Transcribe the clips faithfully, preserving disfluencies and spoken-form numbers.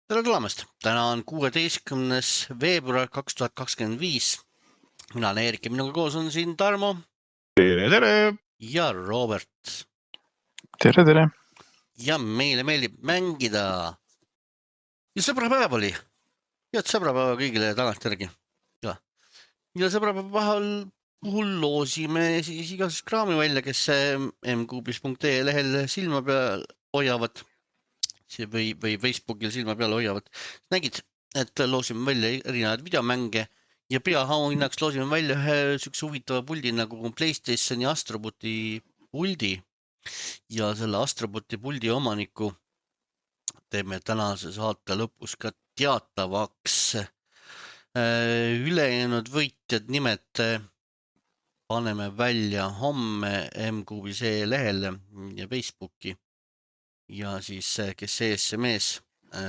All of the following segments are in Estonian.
Tere tulemast! Täna on kuueteistkümnes veebruar kaks tuhat kakskümmend viis. Mina olen Eerik ja minuga koos on siin Tarmo Tere, tere! ja Robert. Tere, tere! Ja meile meeldib mängida. Ja sõbrapäev oli. Head sõbrapäeva kõigile tagantjärgi. Ja, ja sõbrapäeva pahal puhul loosime siis igasest kraami välja, kes mkuubis punkt ee lehel silma peal hoiavad või, või Facebookil silma peal hoiavad. Nägid, et loosime välja erinevaid videomänge ja peaauhinnaks loosime välja ühe sükse huvitava puldi nagu PlayStationi Astroboti puldi ja selle Astroboti puldi omaniku teeme tänase saate lõpus ka teatavaks. Ülejäänud võitjad nimed paneme välja homme mkuubis punkt ee lehel ja Facebooki ja siis kes eesse mees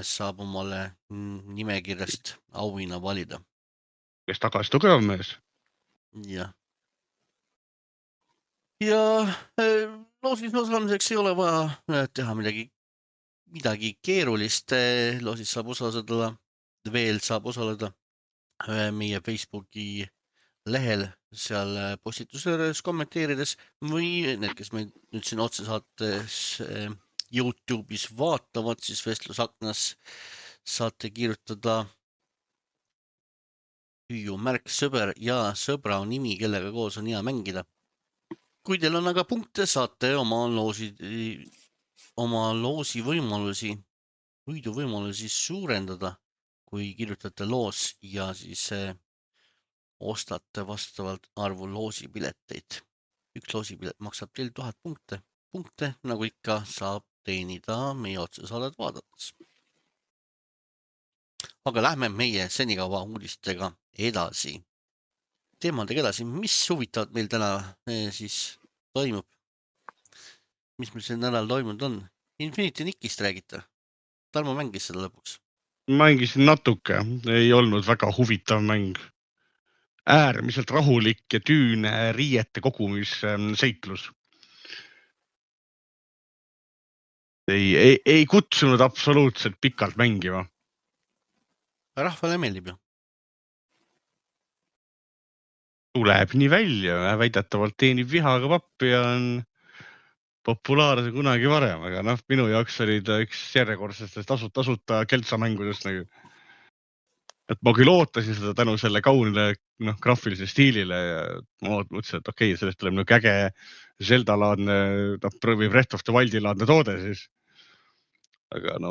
saab omale nimekirjast auhinna valida. Kes tagasi tugev mees? Ja, ja loosis osalemiseks ei ole vaja teha midagi, midagi keerulist. Loosis saab osaleda, veel saab osaleda meie Facebooki lehel, seal postitusööres kommenteerides või need, kes meid nüüd siin otsesaates YouTube'is vaatavad, siis vestlusaknas saate kirjutada hüüu märk sõber ja sõbra nimi, kellega koos on hea mängida. Kui teil on aga punkte, saate oma loosi, oma loosi võimalusi, võidu võimalusi suurendada, kui kirjutate loos ja siis ostate vastavalt arvu loosipileteid. Üks loosipilet maksab teil tuhat punkte. Punkte, nagu ikka, saab teenida meie otsesaadet vaadates. Aga lähme meie senikaua uudistega edasi. Teemadega edasi, mis huvitavad meil täna siis toimub? Mis meil see nädal toimunud on? Infinity Nickist räägite. Tarmo mängis seda lõpuks. Mängisin natuke, ei olnud väga huvitav mäng. Äärmiselt rahulik ja tüüne riiete kogumis seiklus. Ei, ei, ei kutsunud absoluutselt pikalt mängima. Rahvale meeldib ju. Tuleb nii välja, väidetavalt teenib vihaga pappi ja on populaarse kunagi varem, aga noh, minu jaoks oli ta üks järjekordsestest tasut, tasuta keltsamängudest nagu. Et ma küll ootasin seda tänu selle kaunile no, graafilise stiilile ja ma mõtlesin, et okei, okay, sellest tuleb nagu äge Zelda-laadne või Breath of the Wildi-laadne toode siis. Aga no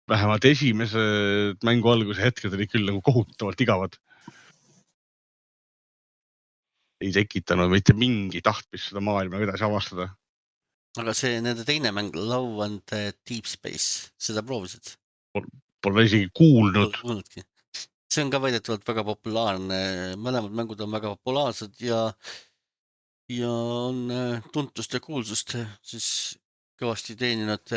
vähemalt esimese mängu alguse hetked oli küll nagu kohutavalt igavad. Ei tekitanud mitte mingi tahtmist seda maailma edasi avastada. Aga see nende teine mäng, Love and Deep Space, seda proovisid? Pole isegi kuulnud. Kuulnudki. See on ka väidetavalt väga populaarne. Mõlemad mängud on väga populaarsed ja, ja on tuntust ja kuulsust siis kõvasti teeninud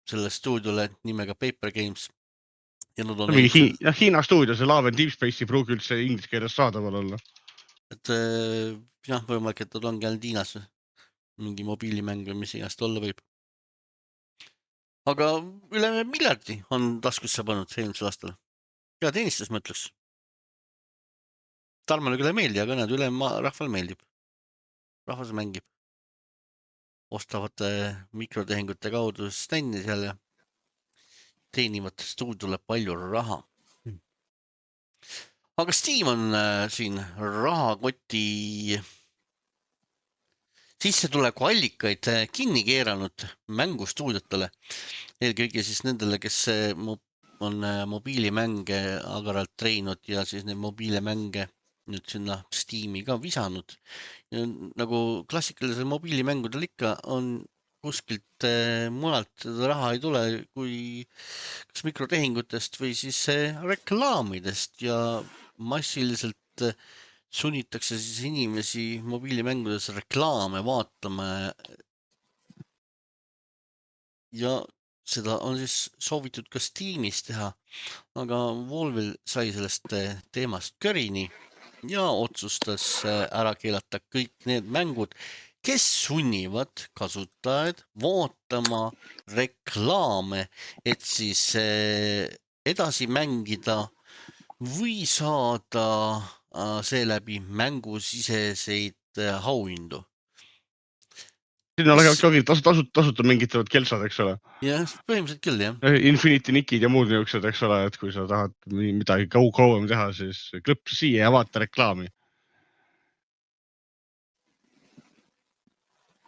selle stuudiole nimega Paper Games. Ja nad on Hi ja Hiina stuudio, see Love and Deep Space ei pruugi üldse inglise keeles saadaval olla. Et jah, võimalik, et nad ongi ainult Hiinas mingi mobiilimäng või mis igast olla võib. Aga üle miljardi on taskusse pannud eelmisel aastal. Ja teenistus mõtleks. Tarmale küll ei meeldi, aga näed, üle rahval meeldib. Rahvas mängib. Ostavad mikrotehingute kaudu stänni seal ja teenivad stuudiole palju raha. Aga Steam on siin rahakoti sissetuleku allikaid kinni keeranud mängustuudiotele. Eelkõige siis nendele, kes on mobiilimänge agaralt treeninud ja siis need mobiilimänge nüüd sinna Steam'i ka visanud. Ja nagu klassikalisel mobiilimängudel ikka on kuskilt mujalt raha ei tule kui kas mikrotehingutest või siis reklaamidest ja massiliselt sunnitakse siis inimesi mobiilimängudes reklaame vaatama. Ja seda on siis soovitud ka Steamis teha, aga Valve sai sellest teemast körini ja otsustas ära keelata kõik need mängud kes sunnivad kasutajaid vaatama reklaame, et siis edasi mängida või saada seeläbi mängusiseseid auhindu. Sinna lähevad ka tasut, tasut, tasuta mingitavad kelsad, eks ole. Jah, põhimõtteliselt küll, jah. Infinity Nickid ja muud niisugused, eks ole, et kui sa tahad midagi kauem teha, siis klõps siia ja vaata reklaami.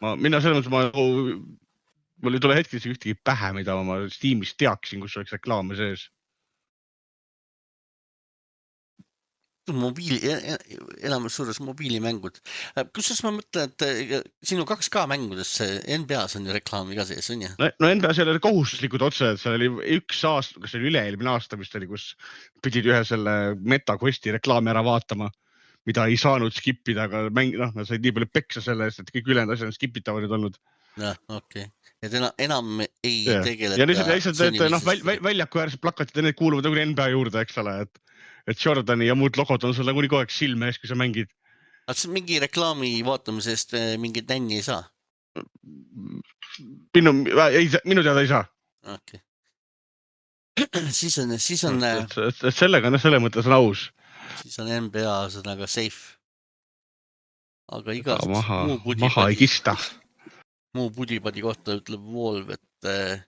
Ma, mina selles mõttes, ma, mul ei tule hetkes ühtegi pähe, mida ma Steamis teaksin, kus oleks reklaame sees. Mobiili, elamus suures mobiilimängud. Kusjuures ma mõtlen, et sinu kaks K mängudes N B A-s on ju reklaami ka sees, on ju? No, no N B A seal oli kohustuslikud otse, et seal oli üks aasta, kas oli üle-eelmine aasta, mis oli, kus pidid ühe selle MetaQuesti reklaami ära vaatama, mida ei saanud skipida, aga mäng, noh, nad said nii palju peksa selle eest, et kõik ülejäänud asjad skipitavad nüüd olnud. Jah, okei. Okay. Et enam, enam ei ja. tegeleta... Ja lihtsalt, lihtsalt et noh, väl, väljaku äärsed plakatid ja need kuuluvad nagu N B A juurde, eks ole, et, et Jordani ja muud logod on sulle kuni kogu aeg silme ees, kui sa mängid. Aga mingi reklaami vaatamisest mingit nänni ei saa? Minu, ei, minu teada ei saa. Okei. Okay. Siis on, siis on... Et, et, et sellega, no selle mõttes on aus. Siis on N B A sõnaga safe. Aga igast maha, muu pudipadi, maha ei kista. Muu pudipadi kohta ütleb Valve, et eh,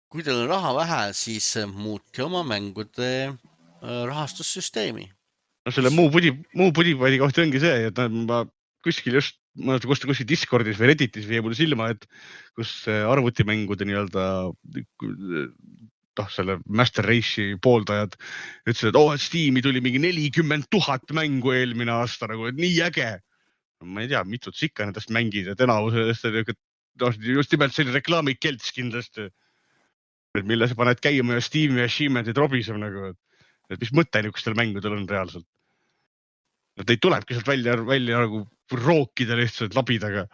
kui teil on raha vähe, siis muutke oma mängude eh, rahastussüsteemi. No selle muu, pudi, muu pudipadi kohta ongi see, et ma kuskil just, ma kuskil, kuskil Discordis või Redditis või mulle silma, et kus arvutimängude nii-öelda noh, selle Master Race'i pooldajad ütlesid, et oh, et Steam'i tuli mingi nelikümmend tuhat mängu eelmine aasta, nagu, et nii äge. Ma ei tea, mitut sikka nendest mängid, et enavusest just nimelt selline reklaamikelts kindlasti, et mille sa paned käima ja Steam'i ja Achievement'id robiseb nagu, et mis mõte niisugustel mängudel on reaalselt. Nad ei tulebki sealt välja, välja nagu rookida lihtsalt labidaga.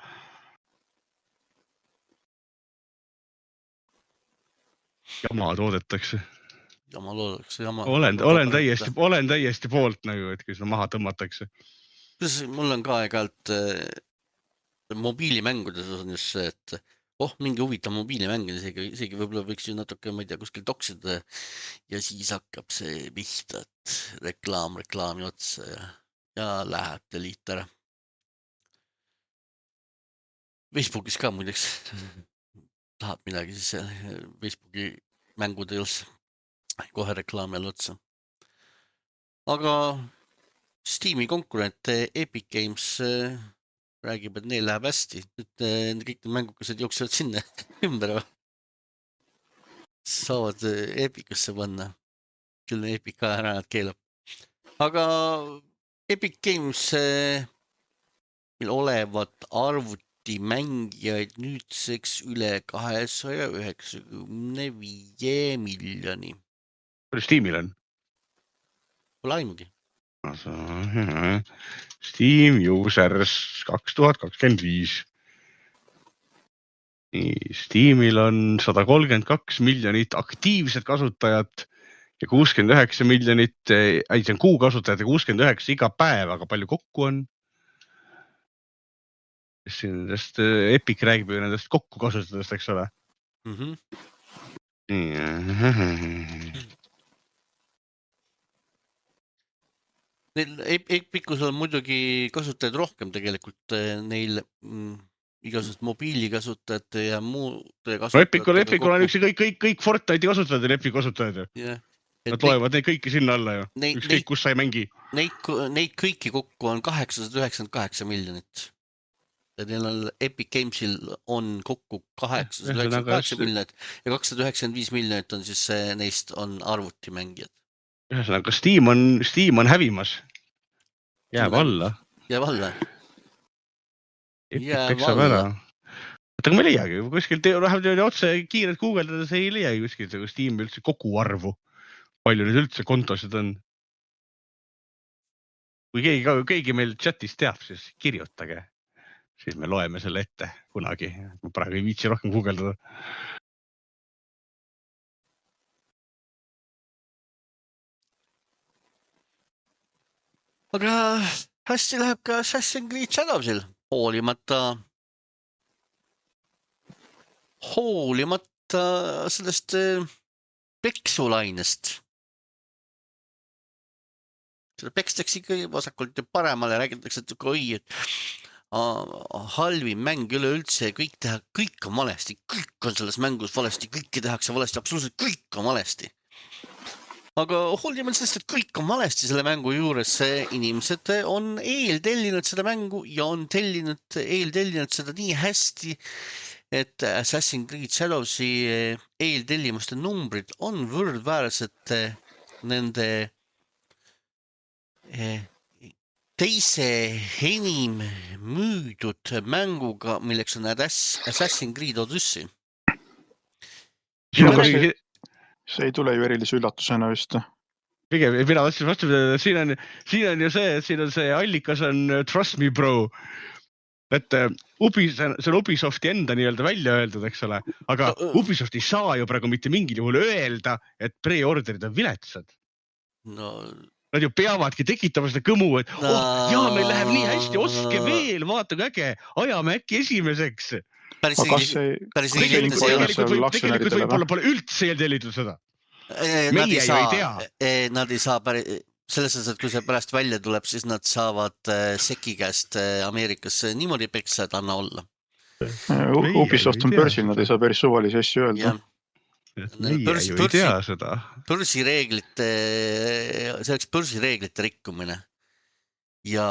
Jama toodetakse. Jama toodetakse, jama. Olen, olen, täiesti, olen täiesti poolt nagu, et kui seda maha tõmmatakse. Mul on ka aeg-ajalt äh, mobiilimängudes on just see, et oh, mingi huvitav mobiilimäng, isegi, isegi võib-olla võiks ju natuke, ma ei tea, kuskil toksida ja siis hakkab see pihta, et reklaam, reklaami otsa ja, ja läheb delete ära. Facebookis ka muideks tahab midagi, siis Facebooki mängude juures kohe reklaami all otsa. Aga Steam'i konkurent Epic Games äh, räägib, et neil läheb hästi. Nüüd äh, kõik need mängukesed jooksevad sinna ümber. Saavad äh, Epicusse panna. Küll Epic ka ära nad keelab. Aga Epic Games äh, meil olevat arvutimängijaid nüüdseks üle kahesaja üheksakümne viie miljoni. Palju Steam'il on? Pole aimugi. Steam users kaks tuhat kakskümmend viis. Steamil on sada kolmkümmend kaks miljonit aktiivset kasutajat ja kuuskümmend üheksa miljonit, ei, see on kuu kasutajat ja kuuskümmend üheksa iga päev, aga palju kokku on? Nendest Epic räägib ju nendest kokku kasutajatest, eks ole? Mhm. Mm Epicus on muidugi kasutajaid rohkem tegelikult neil mm, igasugused mobiilikasutajate ja muude kasutajate. No Epicul, Epicul on üks kõik, kõik, kõik Fortnite'i kasutajad ja Epic kasutajad ju. Yeah. Nad loevad neid kõiki sinna alla ju. Neid, üks kõik, kus sa ei mängi. Neid, neid kõiki kokku on kaheksasada üheksakümmend kaheksa miljonit. Ja neil on Epic Gamesil on kokku kaheksasada üheksakümmend kaheksa miljonit ja kakssada üheksakümmend viis miljonit on siis neist on arvutimängijad. Ühesõnaga, Steam on, Steam on hävimas. Jääb alla. Jääb alla. Epic peksab ära. Aga ma ei leiagi, kuskil vähemalt otse kiired guugeldades ei leiagi kuskil Steam üldse kogu arvu. Palju nüüd üldse kontosid on. Kui keegi, keegi meil chatis teab, siis kirjutage. Siis me loeme selle ette kunagi. Ma praegu ei viitsi rohkem guugeldada. Aga hästi läheb ka Assassin's Creed Shadowsil. hoolimata, hoolimata sellest peksulainest. Seda pekstakse ikka vasakult ja paremale, räägitakse, et oi, et halvim mäng üle üldse, kõik teha, kõik on valesti, kõik on selles mängus valesti, kõike tehakse valesti, absoluutselt kõik on valesti. Aga hoolimata sellest, et kõik on valesti selle mängu juures, inimesed on eeltellinud seda mängu ja on tellinud, eeltellinud seda nii hästi, et Assassin's Creed Shadowsi eeltellimuste numbrid on võrdväärsed nende teise enim müüdud mänguga, milleks on Assassin's Creed Odyssey. See ei tule ju erilise üllatusena vist. Pigem, mina vastin vastu, siin on, siin on ju see, siin on see allikas on Trust Me Bro. Et Ubi, see on Ubisofti enda nii-öelda välja öeldud, eks ole. Aga Ubisoft ei saa ju praegu mitte mingil juhul öelda, et pre-orderid on viletsad. No... Nad ju peavadki tekitama seda kõmu, et oh, jaa, meil läheb nii hästi, ostke veel, vaata kui äge, ajame äkki esimeseks. Päris tegelikult võib-olla pole üldse eeltellitud seda. Meie ju ei tea. Nad ei saa päris, selles mõttes, et kui see pärast välja tuleb, siis nad saavad Seki käest Ameerikas niimoodi peksa, et anna olla. Ubisoft on börsil, nad ei saa päris suvalisi asju öelda. Meie ju ei tea seda. Börsireeglite, see oleks börsireeglite rikkumine. Ja...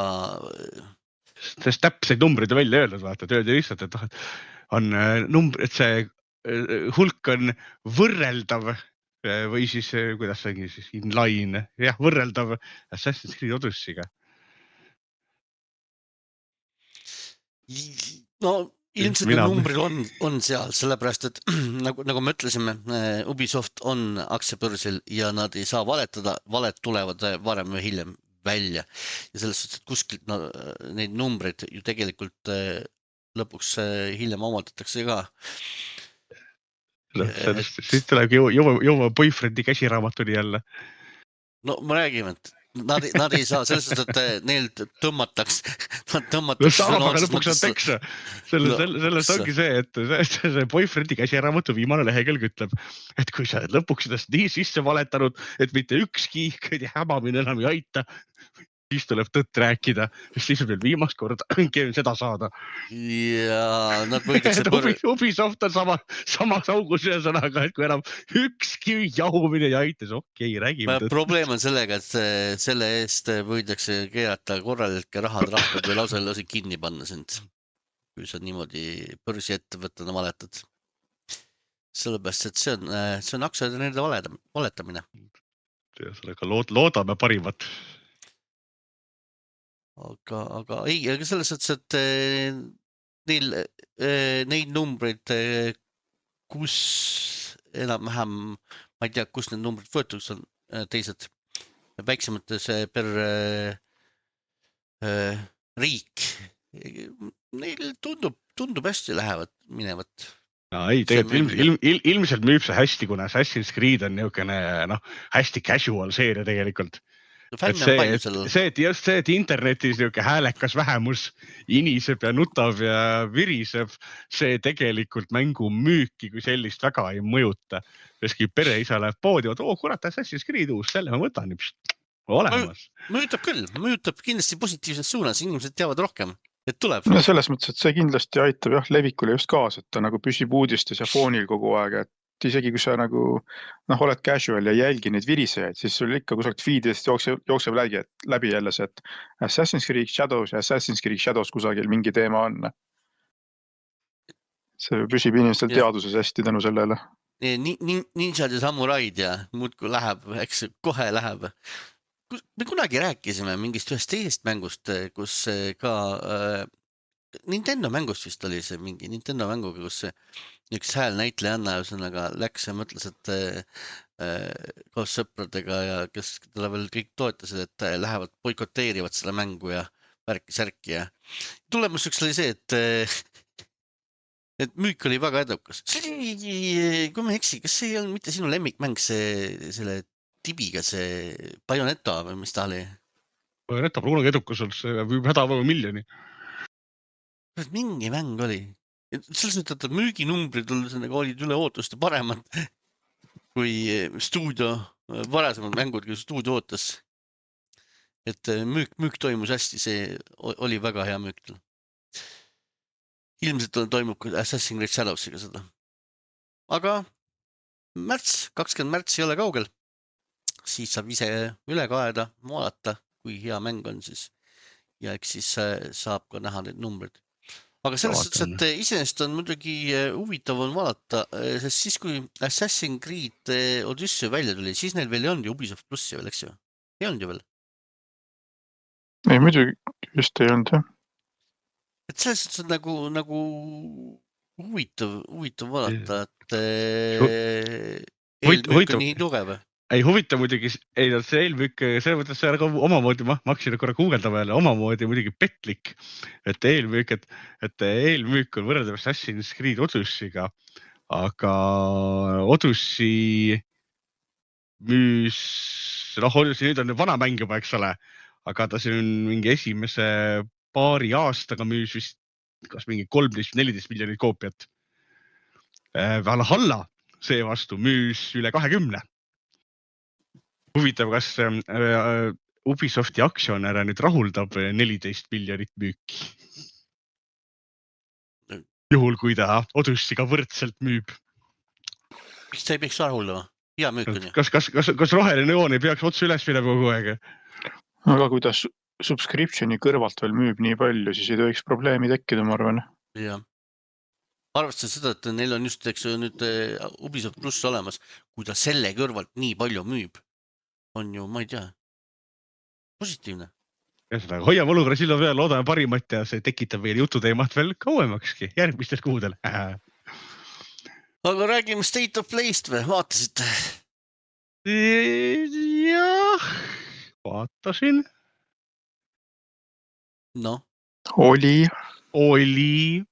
Sest täpseid numbrid on välja öelnud, vaata, et öeldi lihtsalt, et on number, et see hulk on võrreldav või siis, kuidas see ongi siis, inline, jah, võrreldav Assassin's Creed Odyssey'ga. No... Ilmselt need numbrid on, on seal, sellepärast, et nagu, nagu me ütlesime, Ubisoft on aktsiabörsil ja nad ei saa valetada, valed tulevad varem või hiljem välja. Ja selles suhtes, et kuskilt no, neid numbreid ju tegelikult lõpuks hiljem omaldatakse ka. Sellest, siis tuleb jõua, jõua boyfriend'i käsiraamatuni jälle. No ma räägime, et Nad, nad ei saa, selles suhtes, et neil tõmmataks, nad tõmmataks... Saab, aga lõpuks on peksa. Selle, selle, sellest ongi see, et see, see boyfriend'i käsiraamatu viimane lehekülg ütleb, et kui sa lõpuks sellest nii sisse valetanud, et mitte ükski hämamine enam ei aita, siis tuleb tõtt rääkida, sest siis on veel viimast korda seda saada. Ja nad võidakse... Ubisoft on sama, samas augus ühe sõnaga, et kui enam ükski jahumine ei aita, siis okei, okay, räägime tõtt. Probleem on sellega, et selle eest võidakse keerata korralikke rahad rahvad või lausa lasi kinni panna sind, kui sa niimoodi börsi ettevõttena valetad. Sellepärast, et see on, see on aktsiaide valetamine. Sellega lood, loodame parimat. Aga, aga ei, aga selles mõttes, et neil, neid numbreid, kus enam-vähem, ma ei tea, kus need numbrid võetud on teised väiksemates per äh, riik, neil tundub, tundub hästi lähevad minevat. No, ei, tegelikult ilm, ilm, ilmselt müüb see hästi, kuna Assassin's Creed on niisugune no, hästi casual seeria tegelikult. Et see, et, see, et just see, et internetis niisugune häälekas vähemus iniseb ja nutab ja viriseb, see tegelikult mängu müüki kui sellist väga ei mõjuta. Keski pereisa läheb poodi, et oo, kurat, Assassin's Creed uus, selle ma võtan pst, olemas. Mõjutab küll, mõjutab kindlasti positiivses suunas, inimesed teavad rohkem, et tuleb. No selles mõttes, et see kindlasti aitab jah, levikule just kaasa, et ta nagu püsib uudistes ja foonil kogu aeg, et isegi kui sa nagu noh, oled casual ja jälgi neid virisejaid, siis sul ikka kusagilt feedidest jookseb, jookseb läbi, läbi jälle see, et Assassin's Creed Shadows ja Assassin's Creed Shadows kusagil mingi teema on. See püsib inimestel ja. Teaduses hästi tänu sellele. Ninjad ja samuraid ja muudkui läheb, eks kohe läheb. Me kunagi rääkisime mingist ühest teisest mängust, kus ka äh, Nintendo mängust vist oli see mingi Nintendo mänguga, kus üks hääl näitlejanna ühesõnaga läks ja mõtles, et äh, koos sõpradega ja kes talle veel kõik toetasid, et lähevad boikoteerivad selle mängu ja värki-särki ja tulemus üks oli see, et, et müük oli väga edukas. See oli, kui ma eksi, kas see ei olnud mitte sinu lemmikmäng, see selle tibiga, see Bayonetta või mis ta oli? Bayonetta pole kunagi edukas olnud, see võib hädavõu miljoni. mingi mäng oli. Selles mõttes, et müüginumbrid olid üle ootuste paremad kui stuudio, varasemad mängud, kui stuudio ootas. Et müük, müük toimus hästi, see oli väga hea müük. Ilmselt toimub Assassin's Creed Shadowsiga seda. Aga märts, kakskümmend märts ei ole kaugel. Siis saab ise üle kaeda, vaadata, kui hea mäng on siis. Ja eks siis saab ka näha need numbrid. Aga selles suhtes, et iseenesest on muidugi huvitav on vaadata, sest siis kui Assassin's Creed Odyssey välja tuli, siis neil veel ei olnud ju Ubisoft Plussi veel, eks ju? Ei olnud ju veel? Ei, muidugi just ei olnud, jah. Et selles suhtes on nagu, nagu huvitav, huvitav vaadata, et eelmüük on nii tugev. Ei huvita muidugi, ei see eelmüük, see mõttes see on omamoodi, ma hakkasin korra guugeldama jälle, omamoodi muidugi petlik, et eelmüük, et, et eelmüük on võrreldav Assassin's Creed Odyssey'ga, aga Odyssey müüs, noh, Odyssey nüüd on vana mäng juba, eks ole, aga ta siin mingi esimese paari aastaga müüs vist kas mingi kolmteist neliteist miljonit koopiat. Valhalla seevastu müüs üle kahekümne. Huvitav, kas Ubisofti aktsionäre nüüd rahuldab neliteist miljonit müüki. Juhul, kui ta Odyssey'ga võrdselt müüb. Miks ta ei peaks rahuldama? Hea müük on ju. Kas, kas, kas, kas roheline joon ei peaks otse üles minema kogu aeg? Aga kui ta subscriptioni kõrvalt veel müüb nii palju, siis ei tohiks probleemi tekkida, ma arvan. Jah. Arvestades seda, et neil on just eks, nüüd Ubisoft Plus olemas, kui ta selle kõrvalt nii palju müüb, on ju, ma ei tea, positiivne. Ja seda, hoiame olukorra silma peal, loodame parimat ja see tekitab veel jututeemat veel kauemakski, järgmistel kuudel. Aga räägime State of Play'st või, vaatasite? Jah, vaatasin. No. Oli. Oli.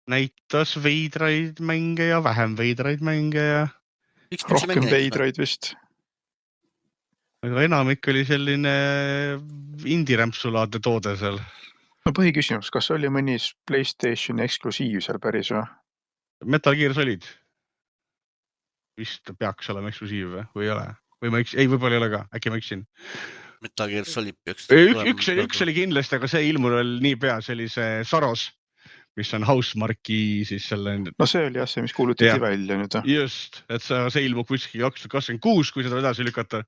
Näitas veidraid mänge ja vähem veidraid mänge ja... Rohkem veidraid vist. Aga enamik oli selline indie-rämpsulaadne toode seal. No põhiküsimus, kas oli mõni PlayStation eksklusiiv seal päris või? Metal Gear Solid. Vist peaks olema eksklusiiv või ei ole? Või ma eks... Ei, võib-olla ei ole ka, äkki ma eksin. Metal Gear Solid peaks... Üks, üks, üks oli kindlasti, aga see ilmul oli nii pea, see oli see Saros, mis on Housemarki siis selle... No see oli jah see, mis kuulutati ja. välja nüüd. Just, et see ilmub kuskil kaks tuhat kakskümmend kuus, kui seda edasi lükata.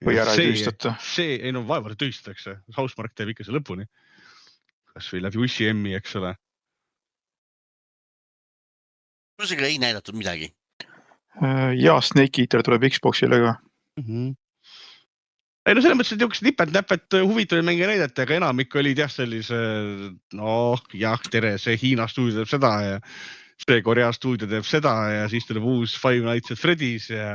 Või ära ei tühistata. See, ei no vaevalt tühistatakse. Housemark teeb ikka see lõpuni. Kas või läbi U C M-i, eks ole. Kusega ei näidatud midagi. Ja Snake Eater tuleb Xboxile ka. Mm-hmm. Ei no selles mõttes, et jooks nipet-näpet huvitav mänge näidata, aga enamik olid jah sellise, noh, jah, tere, see Hiina stuudio teeb seda ja see Korea stuudio teeb seda ja siis tuleb uus Five Nights at Freddy's ja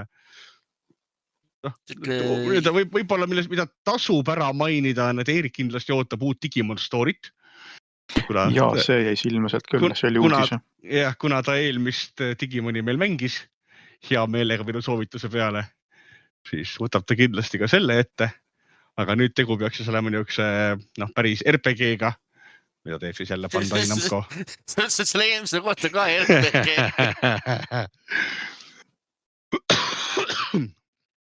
noh, võib, võib-olla milles, mida tasub ära mainida, on, et Eerik kindlasti ootab uut Digimon Story't. Kuna, ja see jäi silma sealt küll, see oli uudis. Jah, kuna ta eelmist Digimoni meil mängis hea meelega minu soovituse peale, siis võtab ta kindlasti ka selle ette, aga nüüd tegu peaks siis olema niukse, noh, päris R P G-ga, mida teeb siis jälle Bandai Namco. Sa ütlesid selle eelmise kohta ka R P G.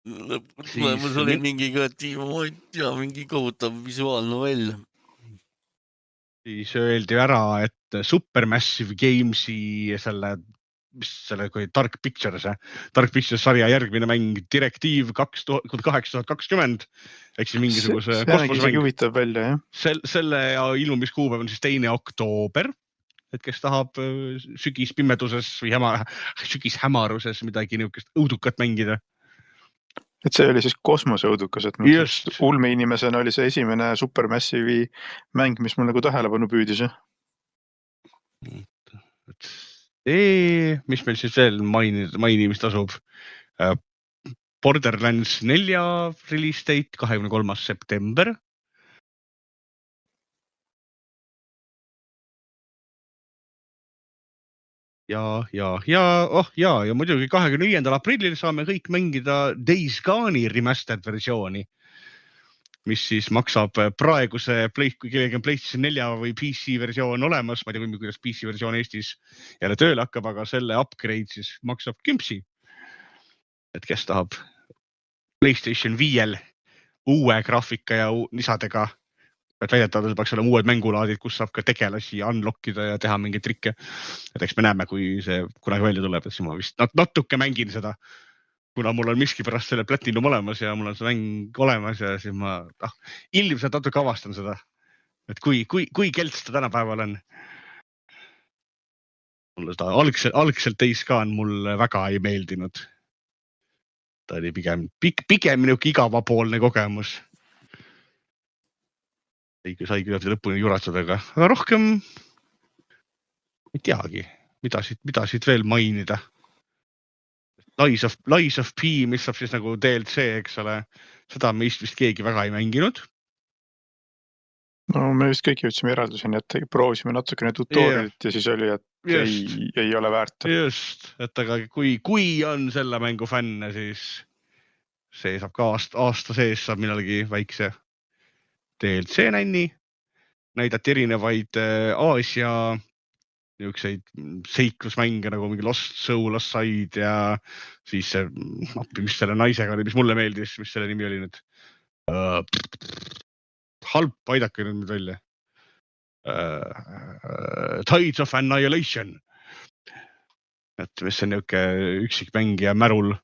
Lõpuks oli mingi ka, ma ei tea, mingi kohutav visuaalnovell. Siis öeldi ära, et Supermassive Gamesi selle mis selle kui Dark Pictures, Dark Pictures sarja järgmine mäng Direktiiv kaks tuhat kakskümmend, ehk siis mingisuguse see kosmosmäng. Huvitav välja, jah. Sel, selle ilmumiskuupäev on siis teine oktoober, et kes tahab sügispimeduses või häma, sügishämaruses midagi niukest õudukat mängida. Et see oli siis kosmoseõudukas, et ulme inimesena oli see esimene Supermassive'i mäng, mis mul nagu tähelepanu püüdis. See, mis meil siis veel mainimist tasub? Borderlands nelja release date kahekümne kolmas september. Ja, ja, ja, oh ja, ja muidugi kahekümne viiendal aprillil saame kõik mängida Days Gone'i remastered versiooni. mis siis maksab praeguse Play, kui kellelgi on PlayStation nelja või P C versioon olemas, ma ei tea, kuidas P C versioon Eestis jälle tööle hakkab, aga selle upgrade siis maksab kümpsi. Et kes tahab PlayStation viiel uue graafika ja lisadega, et väidetavalt peaks olema uued mängulaadid, kus saab ka tegelasi unlockida ja teha mingeid trikke. Et eks me näeme, kui see kunagi välja tuleb, et siis ma vist natuke mängin seda, kuna mul on miski pärast selle Platinum olemas ja mul on see mäng olemas ja siis ma ah, ilmselt natuke avastan seda, et kui, kui, kui kelts ta tänapäeval on. Mulle seda algselt, algselt Days Gone mulle väga ei meeldinud. Ta oli pigem, pigem minuke igavapoolne kogemus. Ei, sai küll lõpuni juratseda, aga, aga rohkem ei teagi, mida siit, mida siit veel mainida. Lies of, Lies of P, mis saab siis nagu D L C, eks ole, seda meist vist keegi väga ei mänginud. No me vist kõik jõudsime järelduseni, et proovisime natukene tutorialit yeah. ja siis oli, et ei, ei ole väärt. Just, et aga kui, kui on selle mängu fänne, siis see saab ka aasta, aasta sees saab millalgi väikse D L C nänni, näidati erinevaid Aasia niisuguseid seiklusmänge nagu mingi Lost Soul Aside ja siis see, appi, mis selle naisega oli, mis mulle meeldis, mis selle nimi oli nüüd. Uh, halb, aidake nüüd välja. Uh, uh, Tides of Annihilation. Et mis see niisugune üksik mängija märul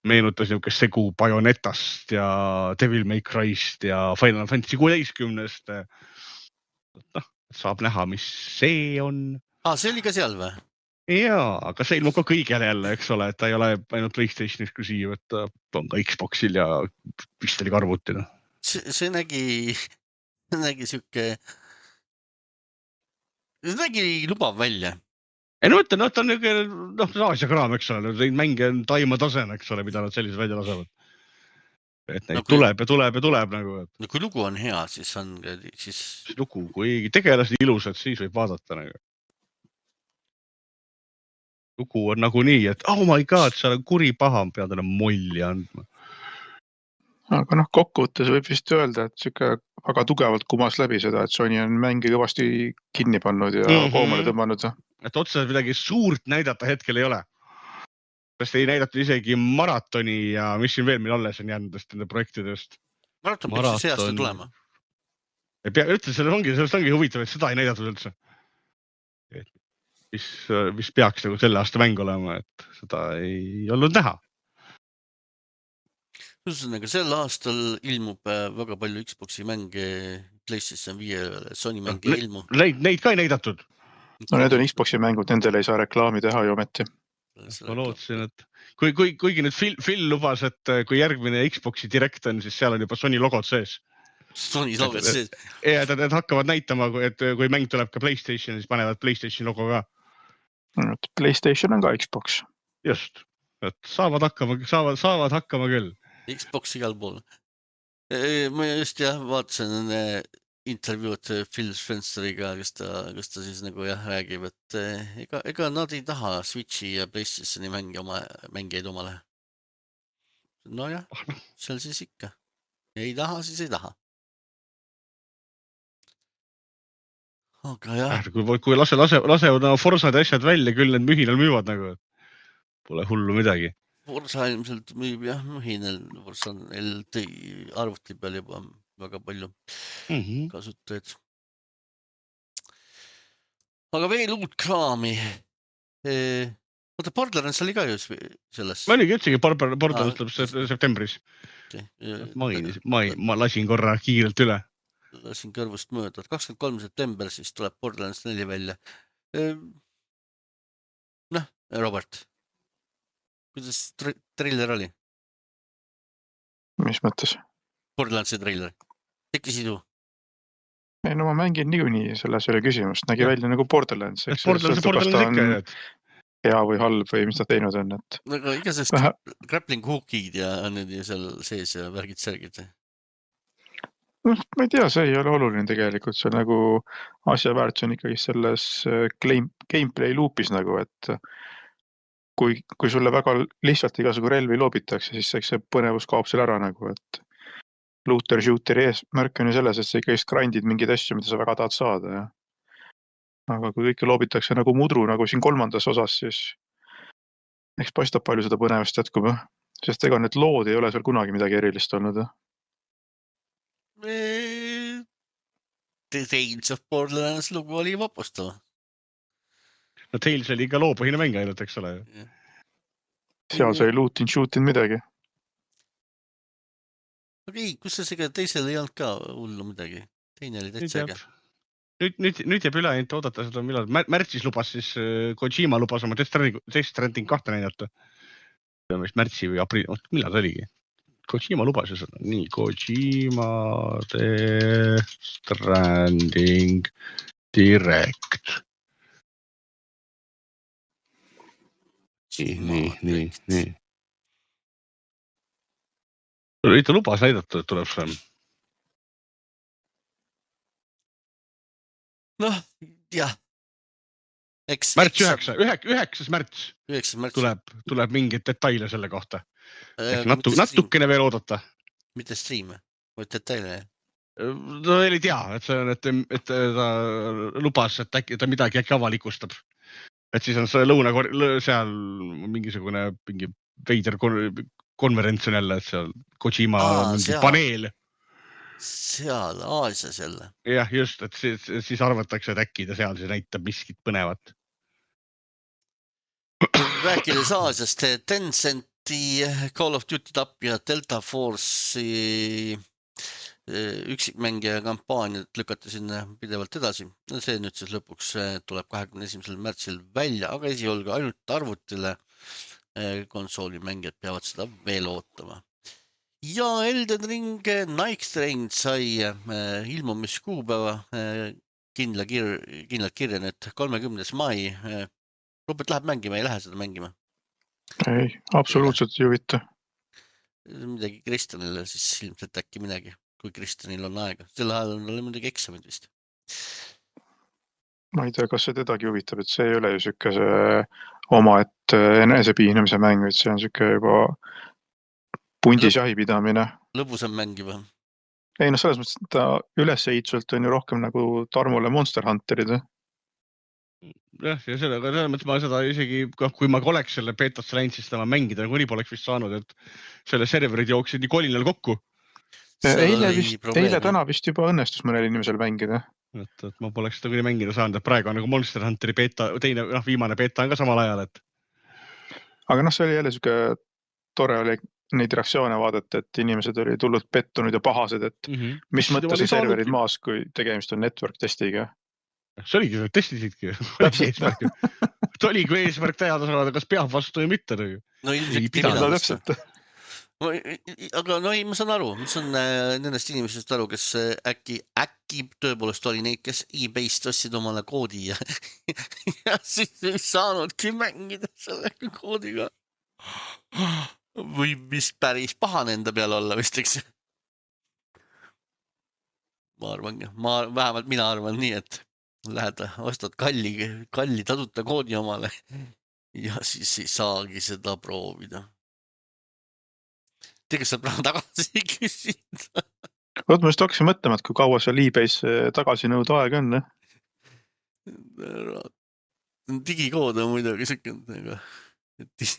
meenutas niisugune segu Bayonetast ja Devil May Cry'st ja Final Fantasy kuueteistkümnest. Noh, saab näha, mis see on. Ah, see oli ka seal või? Jaa, aga see ilmub ka kõigele jälle, eks ole, et ta ei ole ainult PlayStation eksklusiiv, et ta on ka Xboxil ja vist oli ka arvutina. See, see nägi, nägi siuke, see nägi lubav välja. Ei no mõtlen, no, ta on niisugune, noh, Aasia kraam, eks ole, neid mänge on taima tasen, eks ole, mida nad sellised välja lasevad. Et neid no, kui, tuleb ja tuleb ja tuleb nagu. Et... No kui lugu on hea, siis on, siis... Lugu, kui tegelased ilusad, siis võib vaadata nagu. Lugu on nagu nii, et oh my god, seal on kuri paha, pead enam molli andma. Aga noh, kokkuvõttes võib vist öelda, et siuke väga tugevalt kumas läbi seda, et Sony on mängi kõvasti kinni pannud ja mm-hmm. koomale tõmmanud. Et otseselt midagi suurt näidata hetkel ei ole. Sest ei näidatud isegi maratoni ja mis siin veel meil alles on jäändest nende projektidest. Maraton peaks see aasta tulema. Ei pea, ütle, sellest ongi, sellest ongi huvitav, et seda ei näidatud üldse. Et mis, mis peaks nagu selle aasta mäng olema, et seda ei olnud näha. Ühesõnaga, sel aastal ilmub väga palju Xboxi mänge, PlayStation viie, Sony mänge no, ilmu. Neid, neid ka ei näidatud. No need on Xboxi mängud, nendele ei saa reklaami teha ju ometi. Ma lootsin, et kui, kui, kuigi nüüd Phil, Phil lubas, et kui järgmine Xboxi direkt on, siis seal on juba Sony logod sees. Sony logod sees. Ja, et nad hakkavad näitama, et kui mäng tuleb ka PlayStation, siis panevad PlayStation logo ka. PlayStation on ka Xbox. Just, et saavad hakkama, saavad, saavad hakkama küll. Xbox igal pool. Ma just jah, vaatasin intervjuud Phil Spencer'iga, kes ta, kes ta siis nagu jah räägib, et ega, ega nad ei taha Switchi ja PlayStationi mängi oma, mängijaid omale. No jah, seal siis ikka. Ei taha, siis ei taha. Aga jah. Kui, kui lase, lase, lasevad Forsad ja asjad välja, küll need mühinal müüvad nagu. Pole hullu midagi. Forsa ilmselt müüb jah mühinal, Forsa on L T arvuti peal juba väga palju mm-hmm. kasutajaid. Aga veel uut kraami. E, oota, Borderlands oli ka ju selles. Ma oligi üldse, Borderlands tuleb ah, septembris. Okay. Main, ma, ma lasin korra kiirelt üle. Lasin kõrvust mööda. kakskümmend kolm september siis tuleb Borderlands neli välja. E, noh, Robert. Kuidas trailer oli? Mis mõttes? Borderlandsi trailer. Tekkisid ju? Ei, no ma mängin niikuinii, selles oli küsimust. Nägi ja. Välja nagu Borderlands. Eks Borderlands, Borderlands ikka, et... hea või halb või mis ta teinud on. Et... Aga igasest Vähe... grappling hookid ja nüüd seal sees ja värgid särgid. No, ma ei tea, see ei ole oluline tegelikult. See on nagu asja väärt, see on ikkagi selles gameplay loopis nagu, et kui, kui sulle väga lihtsalt igasugu relvi loobitakse, siis eks see põnevus kaob seal ära nagu, et looter shooteri eesmärk on ju selles, et sa ikkagi grindid mingeid asju, mida sa väga tahad saada. Ja. Aga kui kõike loobitakse nagu mudru, nagu siin kolmandas osas, siis eks paistab palju seda põnevust jätkub. Sest ega need lood ei ole seal kunagi midagi erilist olnud. Tales of Borderlands lugu oli vapustava. No Tales oli ikka loopõhine mäng ainult, eks ole. Seal sai lootin shootin midagi. Aga ei, kus see sega teisel ei olnud ka hullu midagi? Teine oli täitsa äge. Nüüd, nüüd, nüüd jääb üle ainult oodata seda, millal märtsis lubas siis Kojima lubas oma Death Stranding kahte näidata. Mis märtsi või aprill, millal ta oligi? Kojima lubas ju seda. Nii, Kojima Death Stranding Direct. Nii, nii, nii, nii. Ta lubas näidata, et tuleb see. Noh, jah. Eks, märts üheksa, üheksas märts, märts. Tuleb, tuleb mingeid detaile selle kohta. Ehk natu, natukene veel oodata. Mitte streame, või detaile? No ei tea, et, see on, et, et ta lubas, et äkki ta midagi äkki avalikustab. Et siis on see lõuna seal mingisugune mingi veider konverents on jälle, et seal Kojima Aa, mingi seal. Paneel. Seal, Aasias jälle. Jah, just, et siis, siis arvatakse, et äkki ta seal siis näitab miskit põnevat. Rääkides Aasiast, Tencenti Call of Duty tapja Delta Force'i üksikmängija kampaaniat lükati sinna pidevalt edasi. See nüüd siis lõpuks tuleb kahekümne esimesel märtsil välja, aga esiolgu ainult arvutile konsoolimängijad peavad seda veel ootama. Ja Elden Ring Night Train sai ilmumiskuupäeva kindla kir kindlalt kirja nüüd kolmekümnes mai. Robert läheb mängima, ei lähe seda mängima? Ei, absoluutselt ei huvita. Midagi Kristjanile siis ilmselt äkki midagi, kui Kristjanil on aega. Selle ajal on tal midagi eksamid vist. Ma ei tea, kas see tedagi huvitab, et see ei ole ju siuke see oma, et enesepiinamise mäng, et see on siuke juba pundis jahipidamine. Lõbusam mäng juba. Ei, no selles mõttes, et ta ülesehitsuselt on ju rohkem nagu Tarmole Monster Hunterid. Jah, ja sellega, selles mõttes ma seda isegi, kui ma oleks selle beetasse läinud, siis ma mängida nagu nii poleks vist saanud, et selle serverid jooksid nii kolinal kokku. Eile, vist, eile täna vist juba õnnestus mõnel inimesel mängida. Et, et ma poleks seda küll mängida saanud, et praegu on nagu Monster Hunteri beeta, teine, noh, viimane beeta on ka samal ajal, et. Aga noh, see oli jälle siuke tore oli neid reaktsioone vaadata, et inimesed oli tulnud pettunud ja pahased, et mm -hmm. mis mõttes on serverid maas, kui tegemist on network testiga. See oligi, testisidki. See oli, kui eesmärk teada saada, kas peab vastu või mitte. No ilmselt ei pidanud täpselt. Aga no ei, ma saan aru, mis on nendest inimesest aru, kes äkki, äkki tõepoolest oli neid, kes eBay'st ostsid omale koodi ja, ja siis ei saanudki mängida selle koodiga. Või mis päris pahane enda peale olla vist, eks. Ma arvan, ma, vähemalt mina arvan nii, et lähed, ostad kalli, kalli tasuta koodi omale ja siis ei saagi seda proovida. Tegelikult saab raha tagasi küsida. Oot, ma just hakkasin mõtlema, et kui kaua seal eBay's tagasi nõuda aeg on. Digikood on muidugi sekund.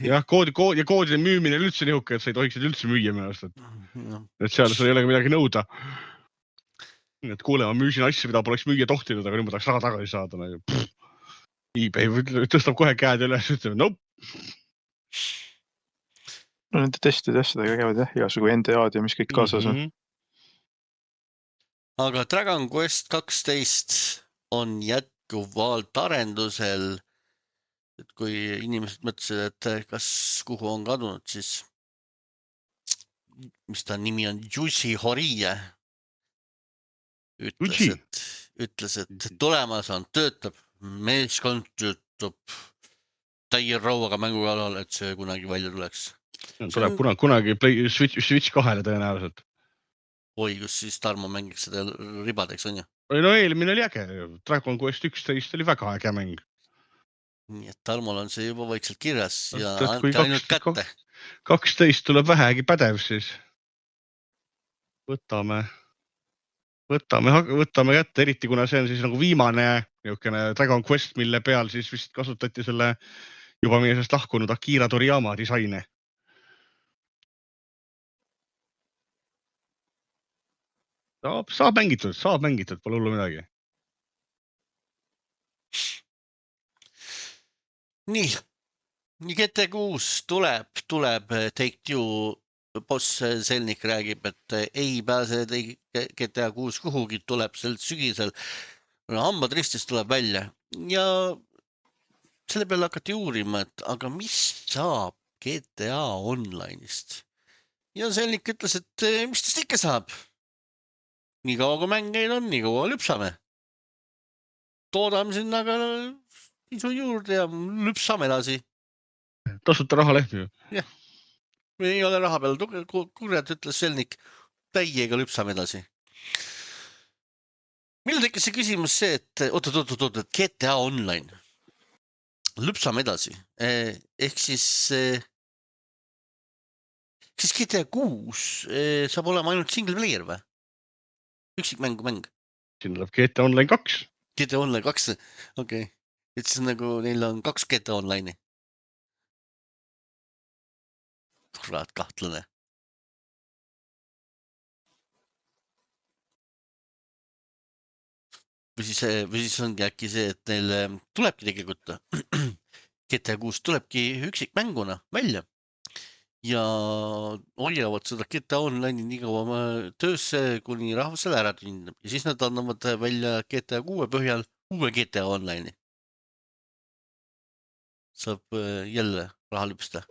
Jah, koodi, koodi ja koodide müümine on üldse nihuke, et sa ei tohiksid üldse müüa mennast. Et, et seal sul ei ole midagi nõuda. Et kuule, ma müüsin asju, mida poleks müüa tohtinud, aga nüüd ma tahaks raha tagasi saada. Nagu, eBay tõstab kohe käed üles, ütleb, nope. No nende testide asjadega käivad jah, igasugu N D A-d ja mis kõik kaasas on. Mm -hmm. Aga Dragon Quest kaksteist on jätkuvalt arendusel. Et kui inimesed mõtlesid, et kas kuhu on kadunud, siis mis ta nimi on, Yuji Horii ütles, et, ütles, et tulemas on, töötab, meeskond töötab täie rauaga mängu kallal, et see kunagi välja tuleks. Tuleb kunagi, kunagi play, switch, switch kahele tõenäoliselt. Oi, kus siis Tarmo mängiks seda ribadeks on ju? No eelmine oli äge, Dragon Quest üksteist oli väga äge mäng. Nii et Tarmol on see juba vaikselt kirjas ja andke ainult kätte. kaksteist tuleb vähegi pädev siis. võtame, võtame, võtame kätte, eriti kuna see on siis nagu viimane niisugune Dragon Quest, mille peal siis vist kasutati selle juba meie sest lahkunud Akira Toriyama disaine. Saab, saab mängitud, saab mängitud, pole hullu midagi. Nii, G T kuus tuleb, tuleb Take-Two boss Selnik räägib, et ei pääse G T kuus kuhugi, tuleb sel sügisel. Hambad ristis tuleb välja ja selle peale hakati uurima, et aga mis saab G T A online'ist? Ja Selnik ütles, et mis tast ikka saab? Nii kaua kui mängeid on, nii kaua lüpsame. Toodame sinna aga isu juurde ja lüpsame edasi. Tasuta raha lehmi. Jah, ei ole raha peal. Kurjad ütles Selnik, täiega lüpsame edasi. Millal tekkis see küsimus see, et oot, oot, oot, oot, G T A online. Lüpsame edasi. Ehk siis, siis G T A kuus saab olema ainult single player või? Üksik mängu mäng. Siin tuleb G T A Online kaks. G T A Online kaks, okei. Okay. Et siis nagu neil on kaks G T A Online'i. Kurat, kahtlane. Või siis, või siis ongi äkki see, et neil tulebki tegelikult G T A kuus tulebki üksik mänguna välja. Ja hoiavad seda G T A Online'i nii kaua töösse, kuni rahvasele ära tündab. Ja siis nad annavad välja G T A kuue põhjal uue G T A Online'i. Saab jälle raha lüpsta.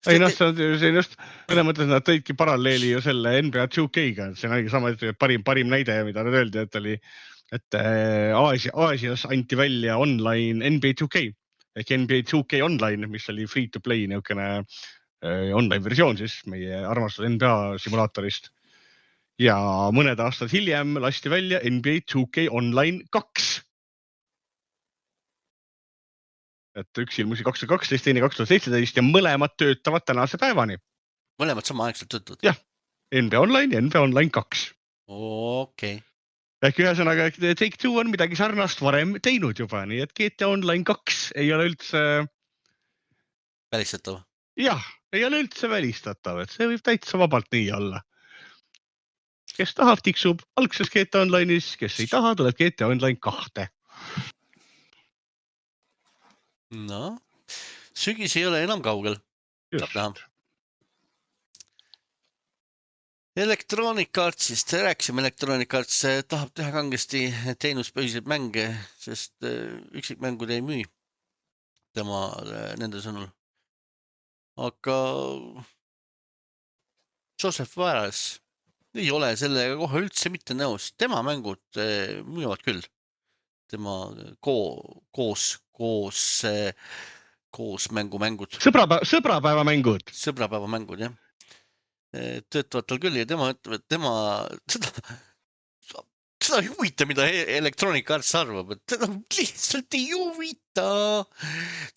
Ei noh, see on just, mõne mõttes nad tõidki paralleeli ju selle N B A two K-ga. See on sama parim, parim näide, mida nad öeldi, et oli et Aasia, Aasias anti välja online N B A two K ehk N B A two K online, mis oli free to play niisugune online versioon siis meie armastus N B A simulaatorist. Ja mõned aastad hiljem lasti välja N B A two K online kaks. Et üks ilmusi kaks tuhat kaksteist, teine kaks tuhat seitseteist ja mõlemad töötavad tänase päevani. Mõlemad sama aegselt töötavad? Jah, N B A Online ja N B A Online kaks. Okei. Ehk ühesõnaga, Take-Two on midagi sarnast varem teinud juba, nii et G T A Online kaks ei ole üldse välistatav. Jah, ei ole üldse välistatav, et see võib täitsa vabalt nii olla. Kes tahab, tiksub algses G T A Online'is, kes ei taha, tuleb G T A Online kahte. No, sügis ei ole enam kaugel. Saab näha. Electronic Artsist, rääkisime Electronic Arts, tahab teha kangesti teenuspõhiseid mänge, sest üksikmängud ei müü tema nende sõnul. Aga Joseph Varas ei ole sellega kohe üldse mitte nõus. Tema mängud müüvad küll. Tema koos, koos, koos mängumängud. Sõbrapäeva, sõbrapäeva mängud. Sõbrapäeva mängud, jah. Töötavad tal küll ja tema ütleb, et tema seda, seda ei huvita, mida Electronic Arts arvab, et teda lihtsalt ei huvita.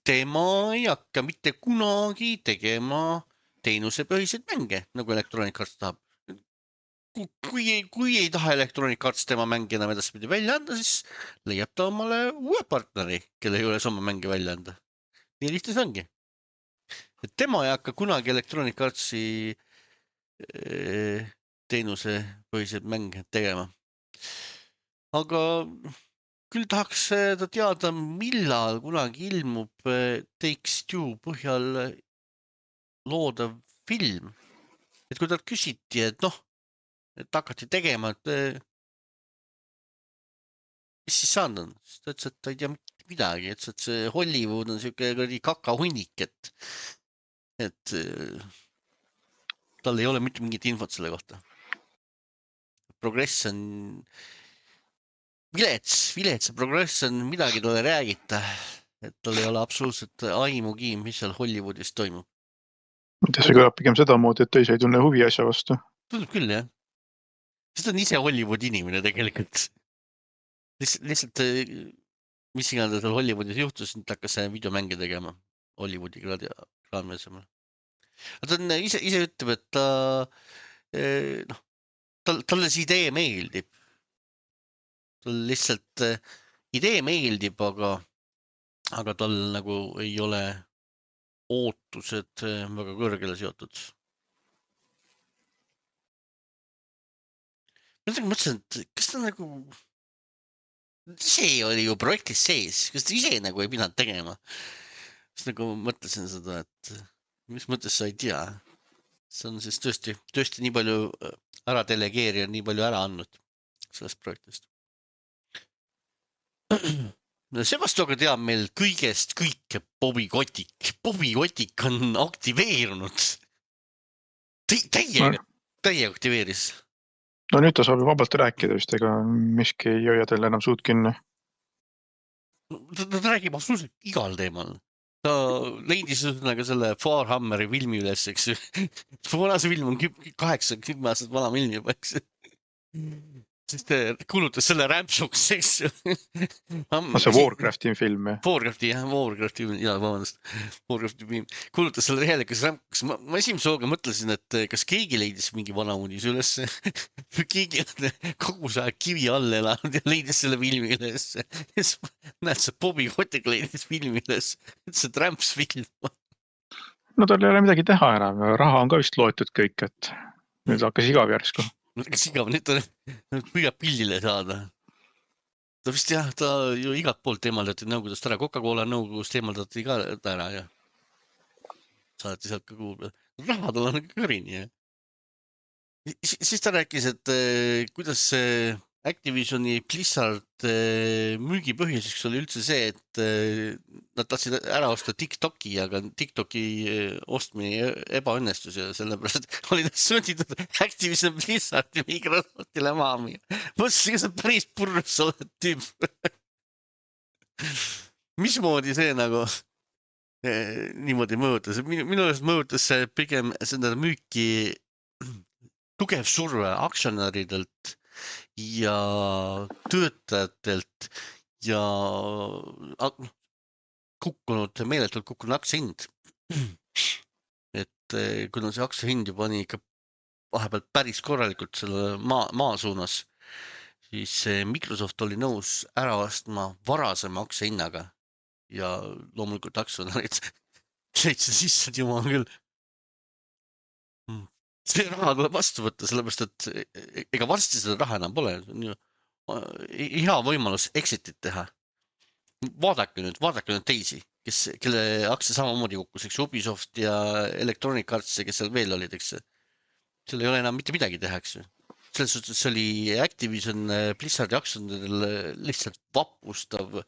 Tema ei hakka mitte kunagi tegema teenusepõhiseid mänge, nagu Electronic Arts tahab. Kui ei, kui ei taha Electronic Arts tema mängi enam edaspidi välja anda, siis leiab ta omale uue partneri, kelle ei ole sama mänge välja anda. Nii lihtne see ongi. Et tema ei hakka kunagi Electronic Artsi teenuse põhiseid mänge tegema. Aga küll tahaks ta teada, millal kunagi ilmub Take-Two põhjal loodav film. Et kui talt küsiti, et noh, et hakati tegema, et mis siis saanud on? Siis ta ütles, et ta ei tea midagi, et see Hollywood on siuke kakahunnik, et, et tal ei ole mitte mingit infot selle kohta. Progress on vilets, vilets progress on midagi talle räägita, et tal ei ole absoluutselt aimugi, mis seal Hollywoodis toimub. See kõlab pigem seda moodi, et teise ei tunne huvi asja vastu. Tundub küll, jah. Sest on ise Hollywoodi inimene tegelikult. Lihtsalt, mis iganes tal Hollywoodis juhtus, nüüd hakkas videomänge tegema Hollywoodi ekraani asemel. ta on ise, ise ütleb, et ta, noh, tal, talle see idee meeldib. tal lihtsalt idee meeldib, aga, aga tal nagu ei ole ootused väga kõrgele seotud. Ma mõtlesin, et kas ta nagu, see oli ju projektis sees, kas ta ise nagu ei pidanud tegema? Siis nagu mõtlesin seda, et mis mõttes sa ei tea. See on siis tõesti, tõesti nii palju ära delegeerija, nii palju ära andnud sellest projektist. Seevastu aga teab meil kõigest kõike Bobby Kotick. Bobby Kotick on aktiveerunud. Täiega, täiega aktiveeris. No nüüd ta saab ju vabalt rääkida vist, ega miski ei hoia teil enam suud kinni. Ta, ta räägib absoluutselt igal teemal. Ta leidis ühesõnaga selle Farhammeri filmi üles, eks ju. Vana see film on kaheksa, kümme aastat vana film juba, eks ju. Siis ta kuulutas selle rämpsuks, eks ju. No see Warcrafti film, jah? Warcrafti, jah, Warcrafti film, jah, vabandust. Warcrafti film. Kuulutas selle täielikas rämpsuks. Ma, ma esimese hooga mõtlesin, et kas keegi leidis mingi vana uudis üles. Keegi on kogu see kivi all elanud ja leidis selle filmi üles. Näed, see Bobby Kotick leidis filmi üles. See rämps film. No tal ei ole midagi teha enam. Raha on ka vist loetud kõik, et nüüd hakkas igav järsku. Kas igav, nüüd ta püüab pillile saada. Ta vist jah, ta ju igat poolt eemaldati nõukogust ära. Coca-Cola nõukogust eemaldati ka ära ja saadeti sealt ka kuulda. Raha tal on kõrini. Ja. Siis ta rääkis, et kuidas Activisioni Blizzard müügipõhjuseks oli üldse see, et nad tahtsid ära osta TikToki, aga TikToki ostmine ebaõnnestus ja sellepärast oli nad sunnitud Activision Blizzardi Microsoftile maha müüa. Mõtlesin, kas on päris purrus oled tüüp. Mismoodi see nagu niimoodi mõjutas? Minu, minu eest mõjutas see pigem seda müüki tugev surve aktsionäridelt ja töötajatelt ja kukkunud, meeletult kukkunud aktsiahind. Et kuna see aktsiahind juba pani ikka vahepeal päris korralikult selle maa, maa suunas, siis Microsoft oli nõus ära ostma varasema aktsiahinnaga ja loomulikult aktsionärid leidsid sisse, et jumal küll. See raha tuleb vastu võtta, sellepärast, et ega varsti seda raha enam pole. Hea võimalus exitit teha. Vaadake nüüd, vaadake nüüd teisi, kes, kelle aktsia samamoodi kukkus, eks Ubisoft ja Electronic Arts, kes seal veel olid, eks. Seal ei ole enam mitte midagi teha, eks. Selles suhtes see oli Activision Blizzardi aktsionäridel lihtsalt vapustav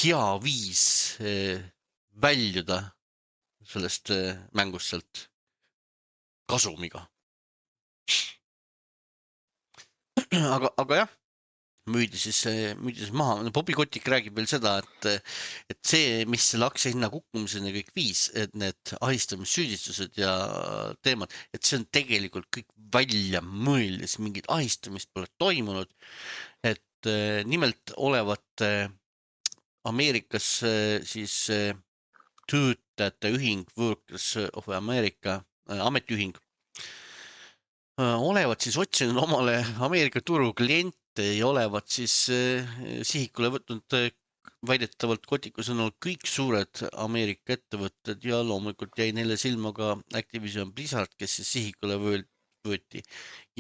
hea viis väljuda sellest mängust sealt kasumiga. Aga, aga jah, müüdi siis, müüdi siis maha. Bobby Kotick räägib veel seda, et, et see, mis selle aktsiahinna kukkumiseni kõik viis, et need ahistamissüüdistused ja teemad, et see on tegelikult kõik välja mõeldes, mingid ahistamist pole toimunud. Et nimelt olevat Ameerikas siis töötajate ühing Workers of America ametiühing olevat siis otsinud omale Ameerika turu kliente ja olevat siis sihikule võtnud väidetavalt Kotiku sõnul kõik suured Ameerika ettevõtted ja loomulikult jäi neile silma ka Activision Blizzard, kes siis sihikule võeti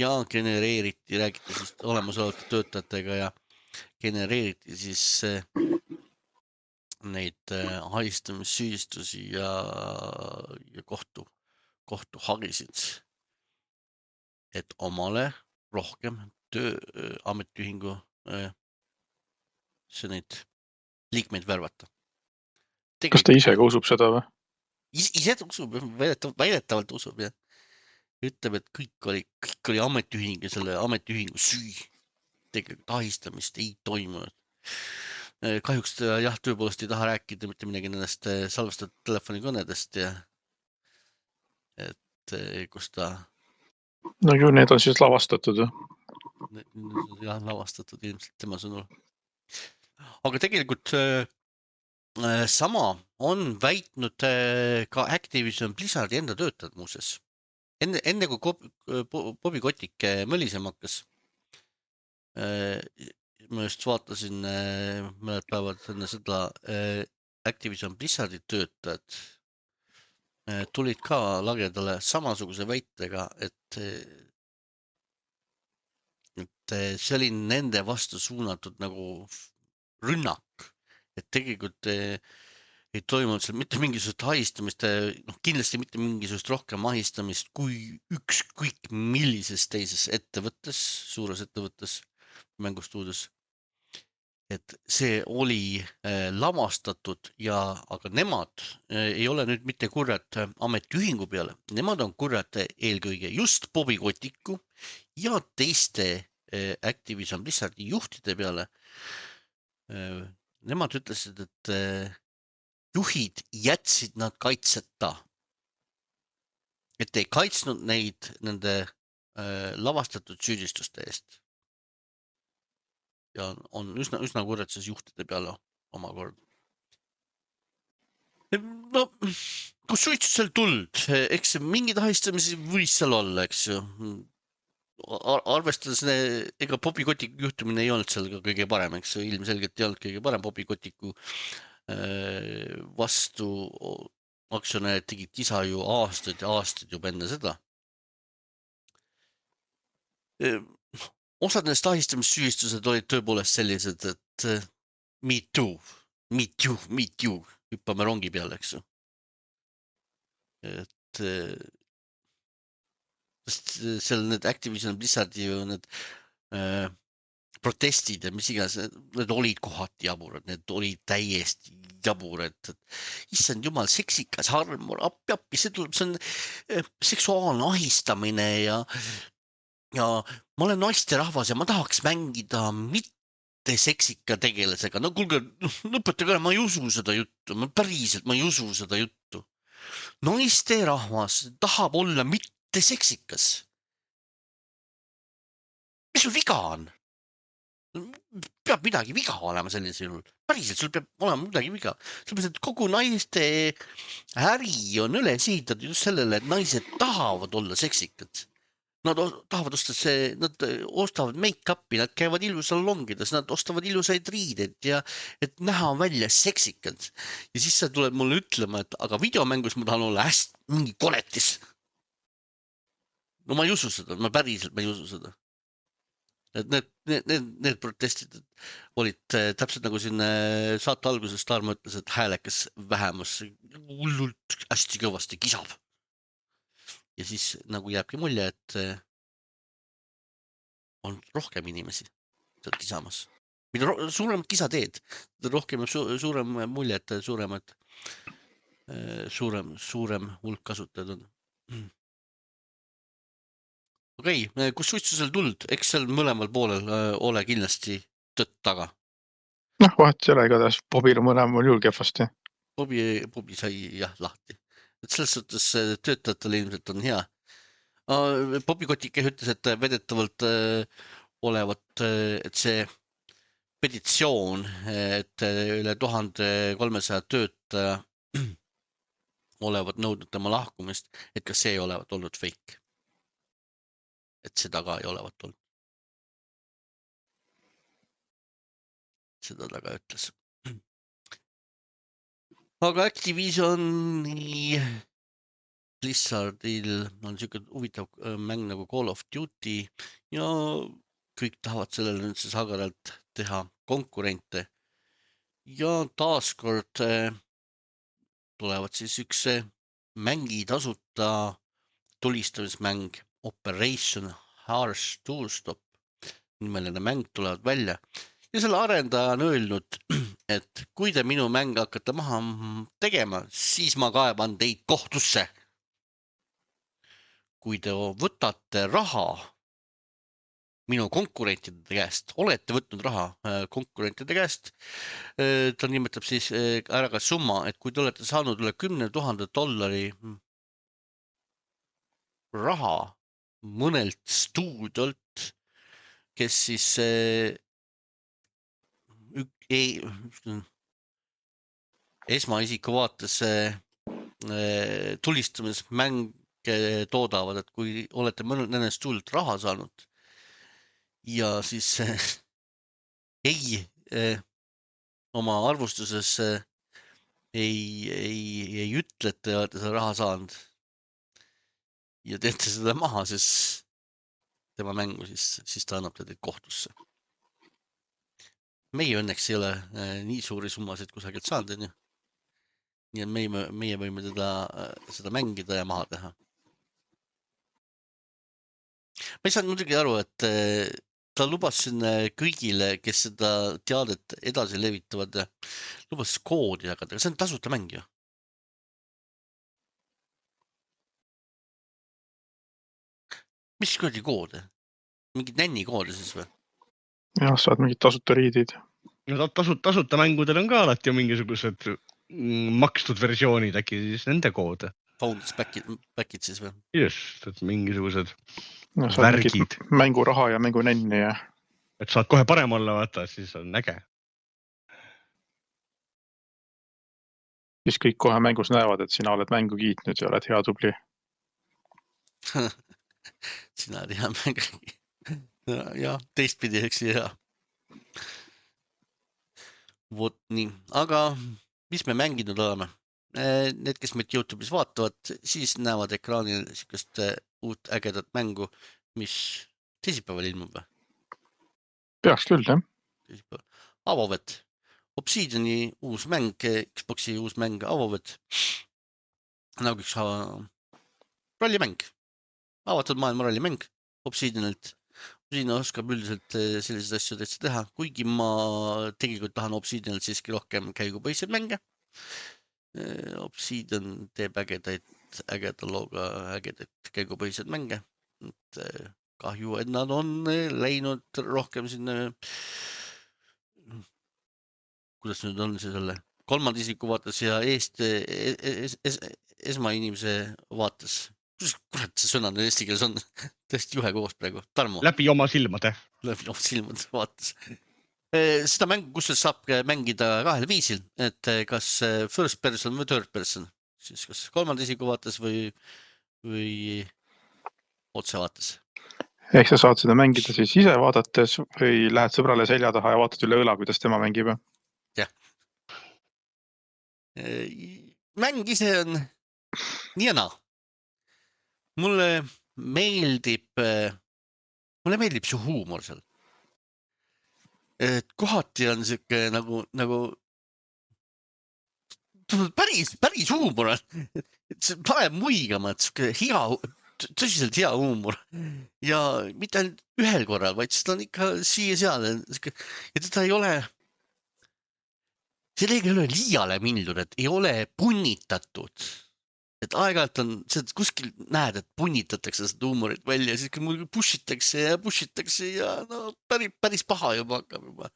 ja genereeriti, räägiti siis olemasolevate töötajatega ja genereeriti siis neid ahistamissüüdistusi ja, ja kohtu kohtuhagisid, et omale rohkem töö ametiühingu see neid liikmeid värvata. Tegelikult, kas ta ise ka usub seda või? Ise, ise usub, väidetavalt, väidetavalt usub ja ütleb, et kõik oli, kõik oli ametiühing ja selle ametiühingu süü. Tegelikult ahistamist ei toimunud. Kahjuks ta jah, tõepoolest ei taha rääkida mitte midagi nendest salvestatud telefonikõnedest ja et kus ta... No ju need on siis lavastatud. Jah, lavastatud ilmselt tema sõnul. Aga tegelikult sama on väitnud ka Activision Blizzardi enda töötajad muuses. Enne, enne kui Bobby Kotick mõlisema hakkas, ma just vaatasin mõned päevad enne seda Activision Blizzardi töötajad tulid ka lagedale samasuguse väitega, et, et see oli nende vastu suunatud nagu rünnak, et tegelikult ei toimunud seal mitte mingisugust ahistamist, noh, kindlasti mitte mingisugust rohkem ahistamist kui ükskõik millises teises ettevõttes, suures ettevõttes, mängustuudios. Et see oli äh, lamastatud ja, aga nemad äh, ei ole nüüd mitte kurjad ametiühingu peale, nemad on kurjad eelkõige just Bobby Koticku ja teiste äh, Activision Blizzardi juhtide peale. Äh, nemad ütlesid, et äh, juhid jätsid nad kaitseta, et ei kaitsnud neid nende äh, lavastatud süüdistuste eest. Ja on üsna, üsna kurjad siis juhtide peale omakord. No, kus suitsu seal tuld, eks mingid ahistamisi võis seal olla, eks ju. Ar arvestades, ega Bobby Kotiku juhtumine ei olnud seal ka kõige parem, eks ju, ilmselgelt ei olnud kõige parem Bobby Kotiku vastu aktsionärid tegid kisa ju aastaid ja aastaid juba enne seda. Osad nendest ahistamissüüstused olid tõepoolest sellised, et me too, me too, me too, hüppame rongi peale, eks ju. Et seal need Activision Blizzardi ju need äh, protestid ja mis iganes, need olid kohati jaburad, need olid täiesti jaburad. Issand jumal, seksikas armur, appi, appi, see tuleb, see on seksuaalne ahistamine ja, ja ma olen naisterahvas ja ma tahaks mängida mitte seksika tegelasega. No kuulge, lõpetage ära, ma ei usu seda juttu, ma päriselt, ma ei usu seda juttu. Naisterahvas tahab olla mitte seksikas. Mis sul viga on? Peab midagi viga olema sellisel juhul. Päriselt, sul peab olema midagi viga. Sellepärast, et kogu naiste äri on üles ehitatud just sellele, et naised tahavad olla seksikad. Nad tahavad osta see, nad ostavad make-upi, nad käivad ilusalongides, nad ostavad ilusaid riideid ja et näha välja seksikad. Ja siis sa tuleb mulle ütlema, et aga videomängus ma tahan olla hästi mingi koletis. No ma ei usu seda, ma päriselt ma ei usu seda. Et need, need, need, need protestid olid täpselt nagu siin saate alguses Tarmo ütles, et häälekas vähemus hullult hästi kõvasti kisab. Ja siis nagu jääbki mulje, et on rohkem inimesi sealt kisamas. Mida suuremat kisa teed, rohkem su suurem mulje, et suuremad, suurem, suurem hulk kasutajad on. Okei, okay, kus suitsu seal tuld? Eks seal mõlemal poolel äh, ole kindlasti tõtt taga. Noh, vahet ei ole, igatahes Bobil mõlemal juhul kehvasti. Bobi, Bobi sai jah lahti. Et selles suhtes töötajatele ilmselt on hea. Uh, Bobby Kotick ütles, et vedetavalt uh, olevat, uh, et see petitsioon, et üle tuhande kolmesaja töötaja olevat nõudnud tema lahkumist, et kas see ei olevat olnud fake. Et seda ka ei olevat olnud. Seda ta ka ütles. Aga Activisioni Blizzardil on niisugune huvitav mäng nagu Call of Duty ja kõik tahavad sellele nüüd siis agaralt teha konkurente. Ja taaskord tulevad siis üks mängi tasuta tulistamismäng Operation Harsh Toolstop nimeline mäng tulevad välja ja selle arendaja on öelnud, et kui te minu mäng hakkate maha tegema, siis ma kaeban teid kohtusse. Kui te võtate raha minu konkurentide käest, olete võtnud raha konkurentide käest, ta nimetab siis ära ka summa, et kui te olete saanud üle kümne tuhande dollari raha mõnelt stuudiolt, kes siis ei, esmaisiku vaates tulistamismänge toodavad, et kui olete mõned nendest tuult raha saanud ja siis ei oma arvustuses ei, ei, ei ütle, et te olete seda raha saanud ja teete seda maha, siis tema mängu, siis, siis ta annab teid kohtusse. Meie õnneks ei ole nii suuri summasid kusagilt saanud, on ju. Nii et meie, meie võime teda, seda mängida ja maha teha. Ma ei saanud muidugi aru, et ta lubas siin kõigile, kes seda teadet edasi levitavad, lubas koodi jagada, aga see on tasuta mäng ju. Mis koodi koode? Mingid nänni koodi siis või? Jah, saad mingid tasuta riidid. No tasuta, tasuta mängudel on ka alati mingisugused makstud versioonid, äkki siis nende koode. Founders back'id, back'id siis või? Just, et mingisugused no, värgid. Mänguraha ja mängu nänni ja... Et saad kohe parem olla, vaata, siis on äge. Siis kõik kohe mängus näevad, et sina oled mängu kiitnud ja oled hea tubli. Sina oled hea mängu. Ja, teistpidi, eks hea. Vot nii, aga mis me mänginud oleme? Need, kes meid YouTube'is vaatavad, siis näevad ekraanil sükest uut ägedat mängu, mis teisipäeval ilmub või? Peaks küll, jah. Avovet. Obsidiani uus mäng, Xboxi uus mäng Avovet. Nagu üks rollimäng. Avatud maailma rollimäng Obsidianilt. Siin oskab üldiselt selliseid asju täitsa teha, kuigi ma tegelikult tahan Obsidianilt siiski rohkem käigupõhised mänge. Obsidian teeb ägedaid, ägeda looga ägedaid käigupõhised mänge. Et kahju, et nad on läinud rohkem sinna, kuidas nüüd on see selle kolmanda isiku vaates ja eest, es, es, esmainimese vaates. Kurat, see sõna eesti keeles on tõesti juhe koos praegu. Tarmo. Läbi oma silmade. Läbi oma silmade vaates. Seda mängu, kus saab mängida kahel viisil, et kas first person või third person. Siis kas kolmanda isiku vaates või, või otse vaates. Ehk sa saad seda mängida siis ise vaadates või lähed sõbrale selja taha ja vaatad üle õla, kuidas tema mängib? Jah. Mäng ise on nii ja naa. Mulle meeldib, mulle meeldib see huumor seal. Et kohati on siuke nagu, nagu päris, päris huumor on. See paneb muigama, et siuke hea, tõsiselt hea huumor. Ja mitte ainult ühel korral, vaid seda on ikka siia seal. Ja teda ei ole, see ei ole liiale mindud, et ei ole punnitatud. Et aeg-ajalt on, kuskil näed, et punnitatakse seda huumorit välja, siis kui mul pushitakse ja pushitakse ja no päris, päris paha juba hakkab juba.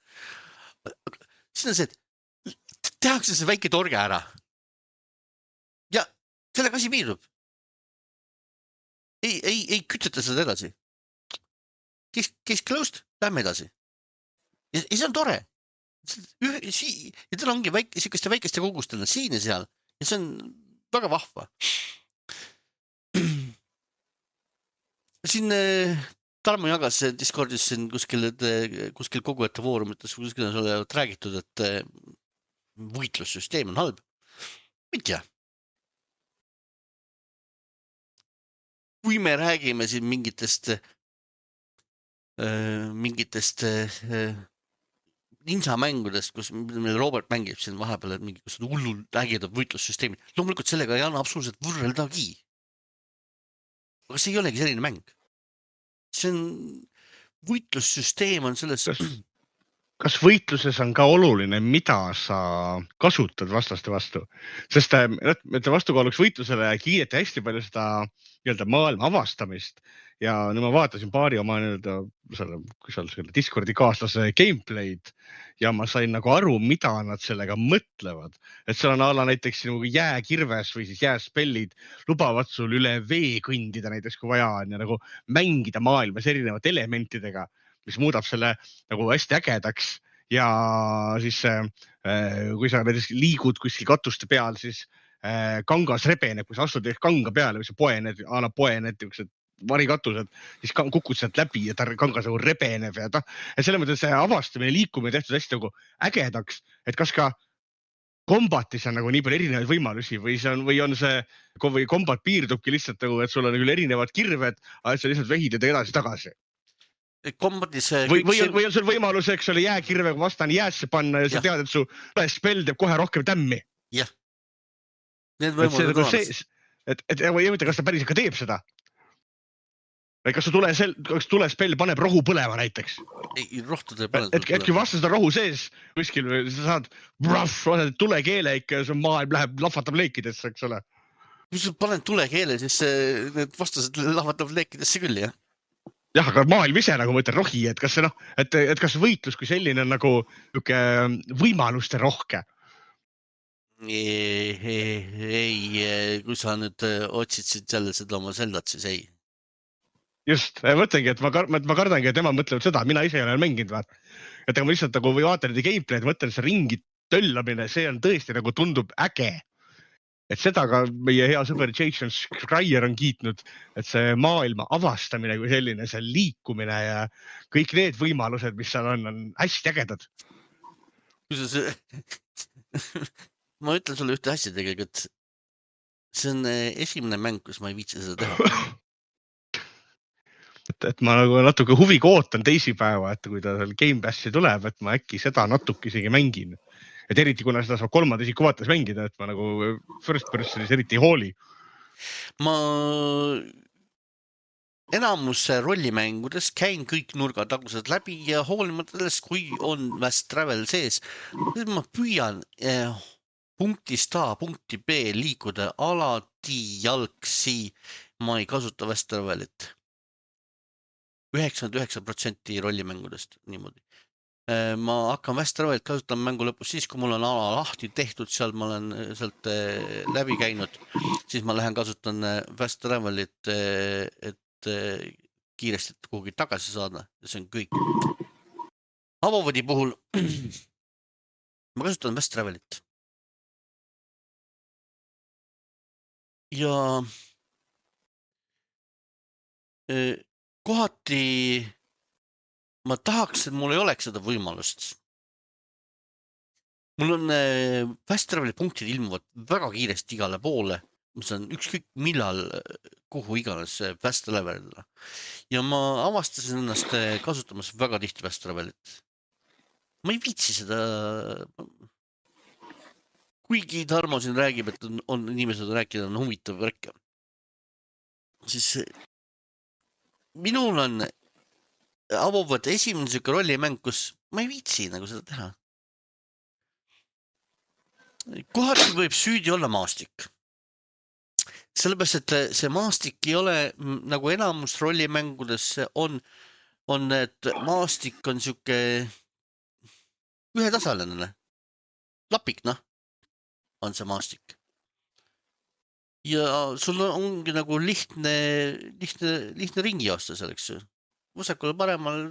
Siis on see, et tehakse see väike torge ära. Ja sellega asi piirub. Ei, ei, ei küteta seda edasi. Case, case closed, lähme edasi. Ja, ja see on tore. Ja tal ongi väike, sükeste väikeste kogustena siin ja seal. Ja see on väga vahva. Siin Tarmo jagas Discordis siin kuskil, kuskil kogujate foorumites, kuskil on sulle räägitud, et võitlussüsteem on halb. Mitte. Kui me räägime siin mingitest mingitest ninja-mängudest, kus meil Robert mängib siin vahepeal, et mingi hullul ägedad võitlussüsteemid. Loomulikult sellega ei anna absoluutselt võrreldagi. Aga see ei olegi selline mäng. See on, võitlussüsteem on selles... Kas, kas võitluses on ka oluline, mida sa kasutad vastaste vastu? Sest et vastukaaluks võitlusele kiideti hästi palju seda nii-öelda maailma avastamist. Ja nüüd ma vaatasin paari oma nii-öelda selle, selle Discordi kaaslase gameplay'd ja ma sain nagu aru, mida nad sellega mõtlevad. Et seal on ala näiteks nagu jääkirves või siis jääspellid lubavad sul üle vee kõndida näiteks, kui vaja on ja nagu mängida maailmas erinevate elementidega, mis muudab selle nagu hästi ägedaks ja siis äh, kui sa näiteks liigud kuskil katuste peal, siis äh, kangas rebeneb, kui sa astud kanga peale või sa poened, a la poened, niisugused varikatused, siis kukud sealt läbi ja ta kangas nagu rebeneb ja ta, et selle mõttes see avastamine, liikumine tehtud hästi nagu ägedaks, et kas ka kombatis on nagu nii palju erinevaid võimalusi või see on, või on see, või kombat piirdubki lihtsalt nagu, et sul on küll erinevad kirved, aga sa lihtsalt vehid edasi-tagasi. Kombatis või, või, on, või on sul võimalus, eks ole, jääkirvega vastane jäässe panna ja sa ja. tead, et su spell teeb kohe rohkem tämmi. Jah. Need võimalused on olemas. Et, et, et kas ta päris ikka teeb seda? Või kas su tule, kas tule spell paneb rohu põlema näiteks? Ei, rohtu teeb põlema. Et, et kui vastas on rohu sees kuskil või sa saad bruff, tulekeele ikka ja su maailm läheb, lahvatab leikidesse, eks ole. Kui sa paned tulekeele, siis need vastased lahvatab leikidesse küll, jah? Jah, aga maailm ise nagu mõtlen rohi, et kas see noh, et, et kas võitlus kui selline on nagu niuke võimaluste rohke? Ei, ei, ei, kui sa nüüd otsid jälle seda oma seldat, siis ei. Just, mõtlengi, et ma, kar ma kardangi, et tema mõtlevad seda, mina ise ei ole mänginud, vaat. Et ma lihtsalt nagu või vaatan nende gameplay'd, mõtlen see ringi töllamine, see on tõesti nagu tundub äge. Et seda ka meie hea sõber Jason Schreier on kiitnud, et see maailma avastamine kui selline, see liikumine ja kõik need võimalused, mis seal on, on hästi ägedad. See... ma ütlen sulle ühte asja tegelikult. See on esimene mäng, kus ma ei viitsi seda teha. et, et ma nagu natuke huviga ootan teisipäeva, et kui ta seal Game Passi tuleb, et ma äkki seda natuke isegi mängin. Et eriti kuna seda saab kolmanda isiku vaates mängida, et ma nagu first personis eriti ei hooli. Ma enamus rollimängudes käin kõik nurgatagused läbi ja hoolimata sellest, kui on Fast Travel sees, siis ma püüan eh, punktist A punkti B liikuda alati jalgsi. Ma ei kasuta Fast Travelit. üheksakümmend üheksa protsenti rollimängudest niimoodi. Ma hakkan Fast Travelit kasutama mängu lõpus siis, kui mul on ala lahti tehtud, seal ma olen sealt läbi käinud, siis ma lähen kasutan Fast Travelit, et kiiresti kuhugi tagasi saada ja see on kõik. Avovõdi puhul ma kasutan Fast Travelit. Ja kohati ma tahaks, et mul ei oleks seda võimalust. Mul on Fast Traveli punktid ilmuvad väga kiiresti igale poole, mis on ükskõik millal, kuhu iganes Fast Travelile. Ja ma avastasin ennast kasutamas väga tihti Fast Travelit. Ma ei viitsi seda, kuigi Tarmo siin räägib, et on, on inimesed rääkida, on huvitav värk. Siis minul on avavad esimene siuke rollimäng, kus ma ei viitsi nagu seda teha. Kohati võib süüdi olla maastik. Sellepärast, et see maastik ei ole nagu enamus rollimängudes on, on, et maastik on siuke ühetasaline. Lapik, noh, on see maastik. Ja sul ongi nagu lihtne, lihtne, lihtne ringi joosta selleks. Vasakule paremal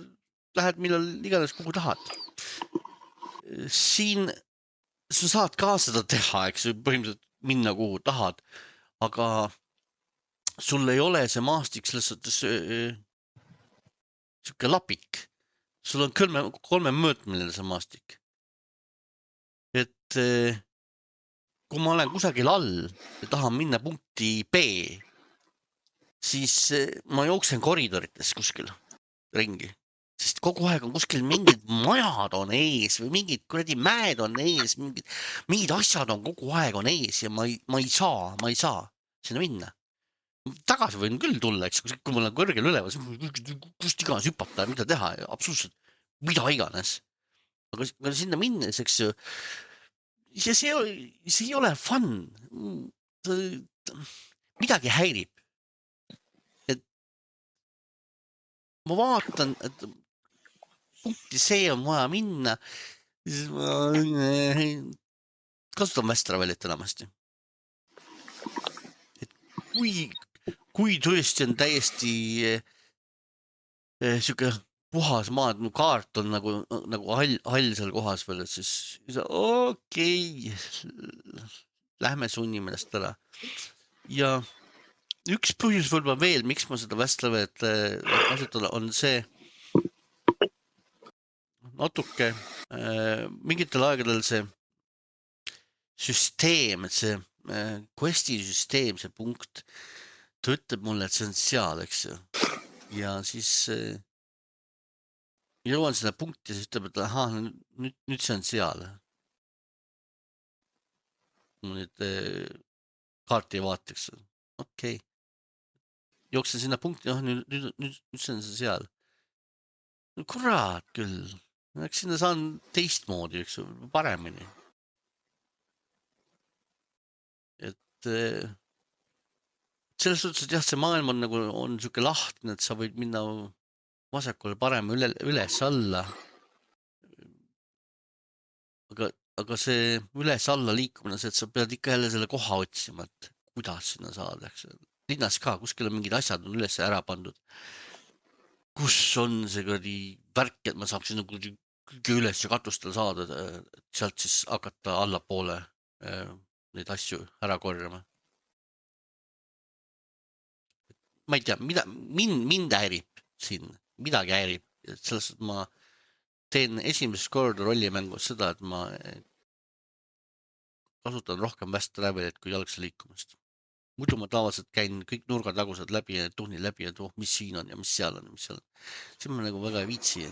lähed millal iganes kuhu tahad. Siin sa saad ka seda teha, eks põhimõtteliselt minna kuhu tahad, aga sul ei ole see maastik selles suhtes siuke lapik. Sul on kolme, kolme mõõtmeline see maastik. Et kui ma olen kusagil all ja tahan minna punkti B, siis ma jooksen koridorites kuskil ringi, sest kogu aeg on kuskil mingid majad on ees või mingid kuradi mäed on ees, mingid, mingid asjad on kogu aeg on ees ja ma ei, ma ei saa, ma ei saa sinna minna. Tagasi võin küll tulla, eks, kui mul on kõrgel üleval, kust iganes hüpata ja mida teha, absoluutselt mida iganes. Aga, aga sinna minnes, eks ju, see, see, see ei ole fun. Midagi häirib. Ma vaatan, et punkti see on vaja minna, siis ma kasutan Fast Travelit enamasti. Et kui, kui tõesti on täiesti eh, siuke puhas maa, et mu kaart on nagu, nagu hall, hall seal kohas veel, et siis okei okay,, lähme sunnime ennast ära. Ja üks põhjus võib-olla veel, miks ma seda Vestlevet kasutada, on see natuke äh, mingitel aegadel see süsteem, et see äh, questi süsteem, see punkt, ta ütleb mulle, et see on seal, eks ju. Ja siis äh, jõuan selle punkti ja siis ütleb, et aha, nüüd, nüüd see on seal. Ma nüüd äh, kaarti ei vaataks. Okei. Okay. Jooksen sinna punkti, oh, nüüd, nüüd, nüüd, nüüd see on see seal. No, kurat küll. Eks sinna saan teistmoodi, eks ju, paremini. Et äh, selles suhtes, et jah, see maailm on nagu, on siuke lahtne, et sa võid minna vasakule parem üle, üles alla. Aga, aga see üles alla liikumine, see, et sa pead ikka jälle selle koha otsima, et kuidas sinna saada, eks. Linnas ka, kuskil on mingid asjad on üles ära pandud. Kus on see kõrdi värk, et ma saaksin nagu kõige üles ja katustel saada, et sealt siis hakata allapoole neid asju ära korjama. Ma ei tea, mida, mind, mind häirib siin, midagi häirib. Selles, et ma teen esimest korda rollimängus seda, et ma kasutan rohkem Fast Travelit kui jalgse liikumist. Muidu ma tavaliselt käin kõik nurgatagused läbi ja tuhnin läbi, et oh, mis siin on ja mis seal on ja mis seal on. Siin ma nagu väga ei viitsi.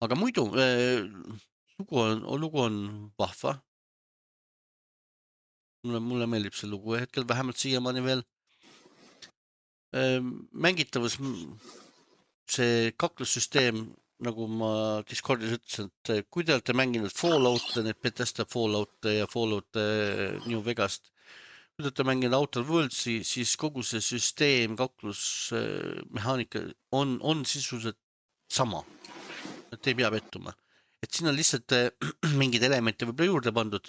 Aga muidu äh, lugu, on, lugu on vahva. Mulle, mulle meeldib see lugu hetkel, vähemalt siiamaani veel. Äh, mängitavus, see kaklussüsteem, nagu ma Discordis ütlesin, et kui te olete mänginud Fallout, need Bethesda Fallout ja Fallout New Vegast, kui te olete mänginud Outer Worldsi, siis kogu see süsteem, kaklusmehaanika on, on sisuliselt sama. Et ei pea pettuma. Et siin on lihtsalt mingid elemente võib-olla juurde pandud.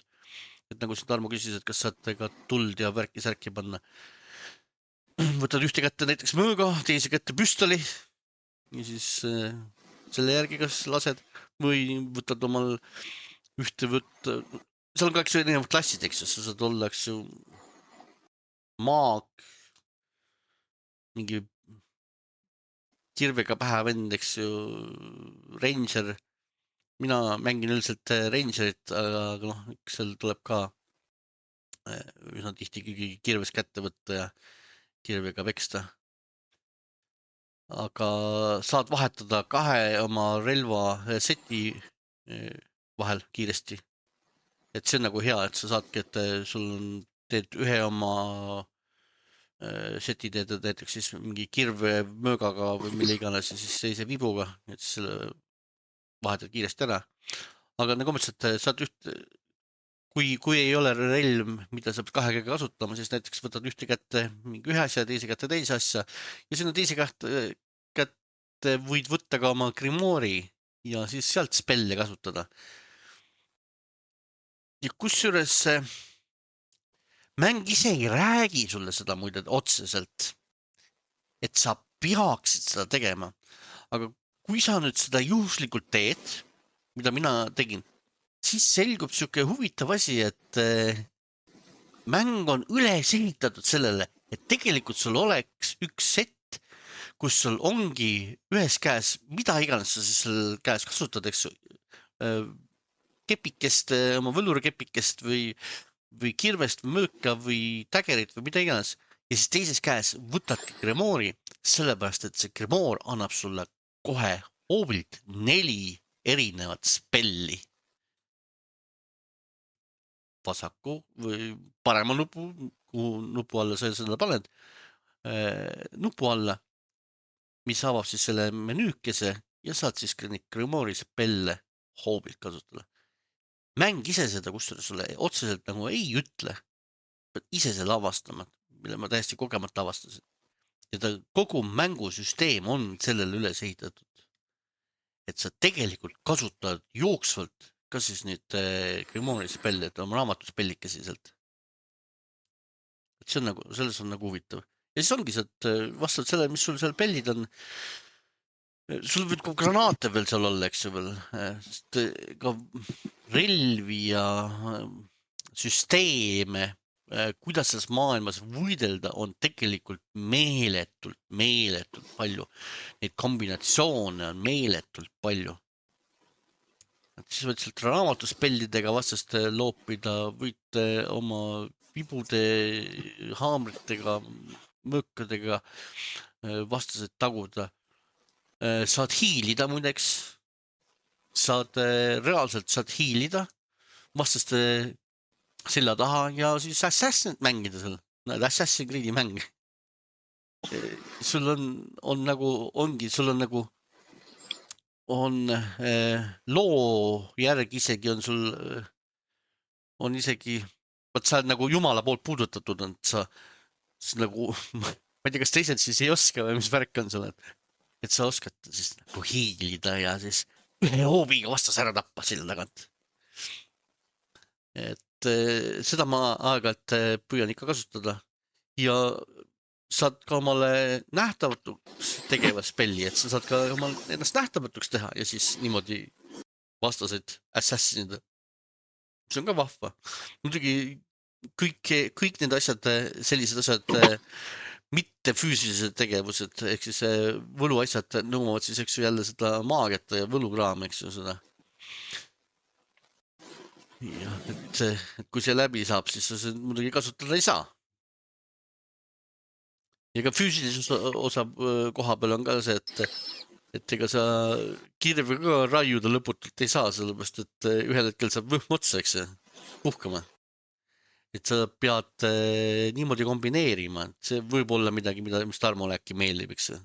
Et nagu siin Tarmo küsis, et kas saate ka tuld ja värki särki panna. Võtad ühte kätte näiteks mõõga, teise kätte püstoli ja siis äh, selle järgi kas lased või võtad omal ühte võtta. Seal on ka eks erinevad klassid, eks ju, sa saad olla, eks ju, maag, mingi kirvega pähe vend, eks ju, ranger. Mina mängin üldiselt rangerit, aga noh, seal tuleb ka üsna tihti kirves kätte võtta ja kirvega peksta. Aga saad vahetada kahe oma relva seti vahel kiiresti. Et see on nagu hea, et sa saadki, et sul on, teed ühe oma seti teed näiteks siis mingi kirve möögaga või mille iganes ja siis seise vibuga, et selle vahetad kiiresti ära. Aga nagu mõtlesin, et saad üht, kui, kui ei ole relv, mida saab kahe käega kasutama, siis näiteks võtad ühte kätte mingi ühe asja, teise kätte teise asja ja sinna teise kätte, kätte võid võtta ka oma grimoori ja siis sealt spelle kasutada. Ja kusjuures mäng ise ei räägi sulle seda muide otseselt, et sa peaksid seda tegema. Aga kui sa nüüd seda juhuslikult teed, mida mina tegin, siis selgub siuke huvitav asi, et mäng on üles ehitatud sellele, et tegelikult sul oleks üks set, kus sul ongi ühes käes, mida iganes sa siis seal käes kasutad, eks kepikest, oma võlurikepikest või, või kirvest või mööka või tägerit või mida iganes. Ja siis teises käes võtadki grimoori, sellepärast, et see grimoor annab sulle kohe hoobilt neli erinevat spelli. Vasaku või parema nupu, kuhu nupu alla sa seda paned, nupu alla, mis avab siis selle menüükese ja saad siis grimoori spelle hoobilt kasutada. Mäng ise seda, kus sulle otseselt nagu ei ütle, pead ise selle avastama, mille ma täiesti kogemata avastasin. Ja ta kogu mängusüsteem on sellele üles ehitatud, et sa tegelikult kasutad jooksvalt ka siis nüüd grimoori spelli, et oma raamatuspellikesi sealt. Et see on nagu, selles on nagu huvitav. Ja siis ongi see, et vastavalt sellele, mis sul seal pellid on, sul võib ka granaate veel seal olla, eks ju veel, sest ka relvi ja süsteeme, kuidas selles maailmas võidelda, on tegelikult meeletult, meeletult palju. Neid kombinatsioone on meeletult palju. Siis võid sealt raamatuspellidega vastast loopida, võite oma vibude, haamritega, mõõkadega vastased taguda. Saad hiilida muideks, saad reaalselt saad hiilida vastaste selja taha ja siis Assassinit mängida seal, Assassin's Creed'i mäng. Sul on, on nagu, ongi, sul on nagu, on eh, loo järgi isegi on sul, on isegi, vaat sa oled nagu Jumala poolt puudutatud, on sa, sa nagu, ma ei tea, kas teised siis ei oska või mis värk on sul, et et sa oskad siis nagu hiilida ja siis ühe hoobiga vastas ära tappa sille tagant. Et eh, seda ma aeg-ajalt püüan ikka kasutada ja saad ka omale nähtamatuks tegeva spelli, et sa saad ka omal ennast nähtamatuks teha ja siis niimoodi vastaseid assassinida. See on ka vahva. Muidugi kõik, kõik need asjad, sellised asjad, mitte füüsilised tegevused, ehk siis võluasjad nõuavad siis, eks ju, jälle seda maagiat ja võlukraam, eks ju, seda. Ja, et, et kui see läbi saab, siis sa muidugi kasutada ei saa. Ja ka füüsilises osa koha peal on ka see, et, et ega sa kirve ka raiuda lõputult ei saa, sellepärast, et ühel hetkel saab võhm otsa, eks see, puhkama. Et sa pead äh, niimoodi kombineerima, et see võib olla midagi, mida, mis Tarmole äkki meeldib, eks see.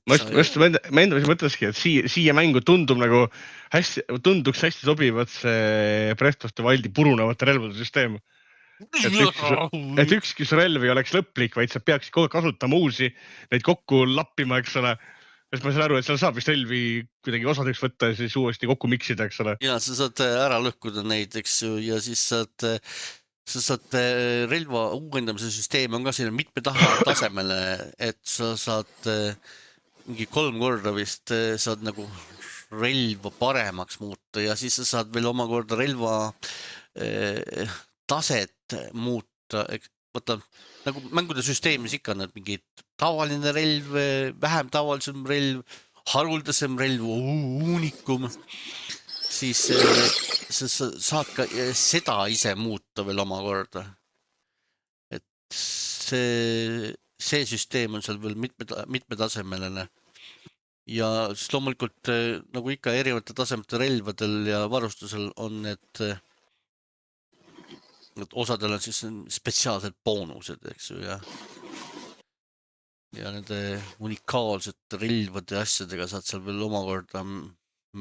Ma just, just ma enda mõtleski, et siia, siia mängu tundub nagu hästi, tunduks hästi sobivat see Breath of the Wildi purunevate relvade süsteem. Et ükski, et ükski su relv ei oleks lõplik, vaid sa peaksid kogu kasutama uusi, neid kokku lappima, eks ole. Sest ma saan aru, et seal saab vist relvi kuidagi osadeks võtta ja siis uuesti kokku miksida, eks ole. Ja sa saad ära lõhkuda neid, eks ju, ja siis saad, sa saad relva uuendamise süsteem on ka siin mitme taha tasemele, et sa saad mingi kolm korda vist saad nagu relva paremaks muuta ja siis sa saad veel omakorda relva taset muuta, võtta nagu mängude süsteemis ikka on mingi tavaline relv, vähem tavalisem relv, haruldasem relv, uunikum, siis sa saad ka seda ise muuta veel omakorda. Et see, see süsteem on seal veel mitme, mitmetasemeline. Ja siis loomulikult nagu ikka erinevate tasemete relvadel ja varustusel on need et osadel on siis spetsiaalsed boonused, eks ju, ja ja nende unikaalsete relvade ja asjadega saad seal veel omakorda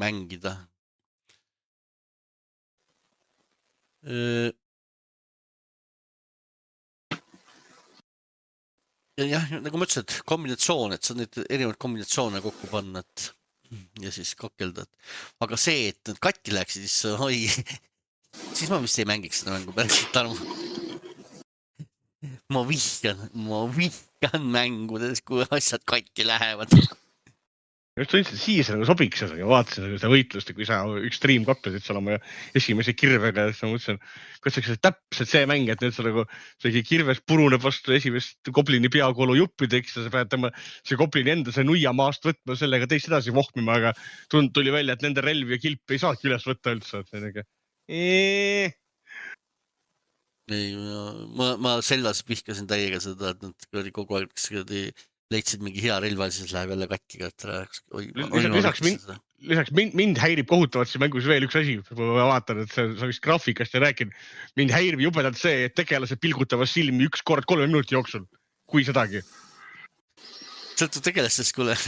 mängida. Ja jah, nagu ma ütlesin, et kombinatsioon, et sa neid erinevaid kombinatsioone kokku panna, et ja siis kakelda. Aga see, et need katki läheksid, siis oi, siis ma vist ei mängiks seda mängu päriselt, Tarmo. Ma vihkan, ma vihkan mängudes, kui asjad katki lähevad. Just tundsin, siis nagu sobiks seda, ja vaatasin seda võitlust, kui sa üks stream kaklesid seal oma esimese kirvega, ja siis ma mõtlesin, kuidas see täpselt see mäng, et nüüd sa nagu see kirves puruneb vastu esimest goblini peakoolu juppideks ja sa pead tema see goblini enda see nuia maast võtma, sellega teist edasi vohmima, aga tund tuli välja, et nende relvi ja kilpi ei saagi üles võtta üldse. Eee. Ei, ma, ma sellas vihkasin täiega seda, et nad kogu aeg leidsid mingi hea relva, siis läheb jälle katkiga. Lisaks, mind, lisaks mind, mind häirib kohutavalt see mängus veel üks asi. Ma vaatan, et sa, sa vist graafikast ei rääkinud. Mind häirib jubedalt see, et tegelased pilgutavad silmi üks kord kolme minuti jooksul. Kui sedagi. Sõltu tegelastest, kuule.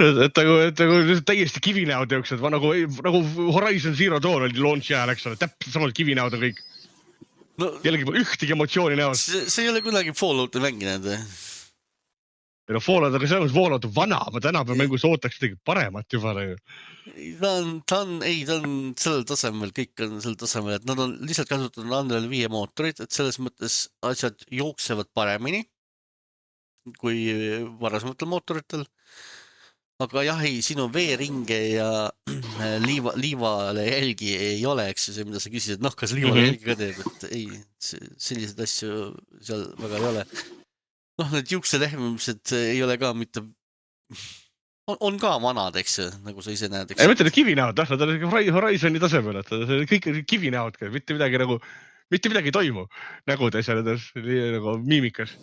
Et nagu, et nagu täiesti kivinäod jooksed. Nagu, nagu Horizon Zero Dawn oli launch ajal, eks ole. Täpselt samad kivinäod on kõik. No, jällegi ühtegi emotsiooni näod. See, see ei ole kunagi Fallouti mänginud. No Fallout on selles Fallout vana, ma tänapäeva mängus ootaks midagi paremat juba. Ta on, ta on, ei, ta on sellel tasemel, kõik on sellel tasemel, et nad on lihtsalt kasutanud Unreal viie mootorit, et selles mõttes asjad jooksevad paremini kui varasematel mootoritel. aga jah, ei, sinu veeringe ja liiva, liivale jälgi ei ole, eks ju, see, mida sa küsisid, noh, kas liivale Mhm. jälgi ka teeb, et ei, selliseid asju seal väga ei ole. Noh, need juukselehmimised ei ole ka mitte, on, on ka vanad, eks ju, nagu sa ise näed, eks ei ju. mõtle, et kivinäod, noh, nad on Hori- Horizoni tasemel, et see on kõik kivinäod, mitte midagi nagu, mitte midagi ei toimu nägudes ja nendes nii nagu miimikas.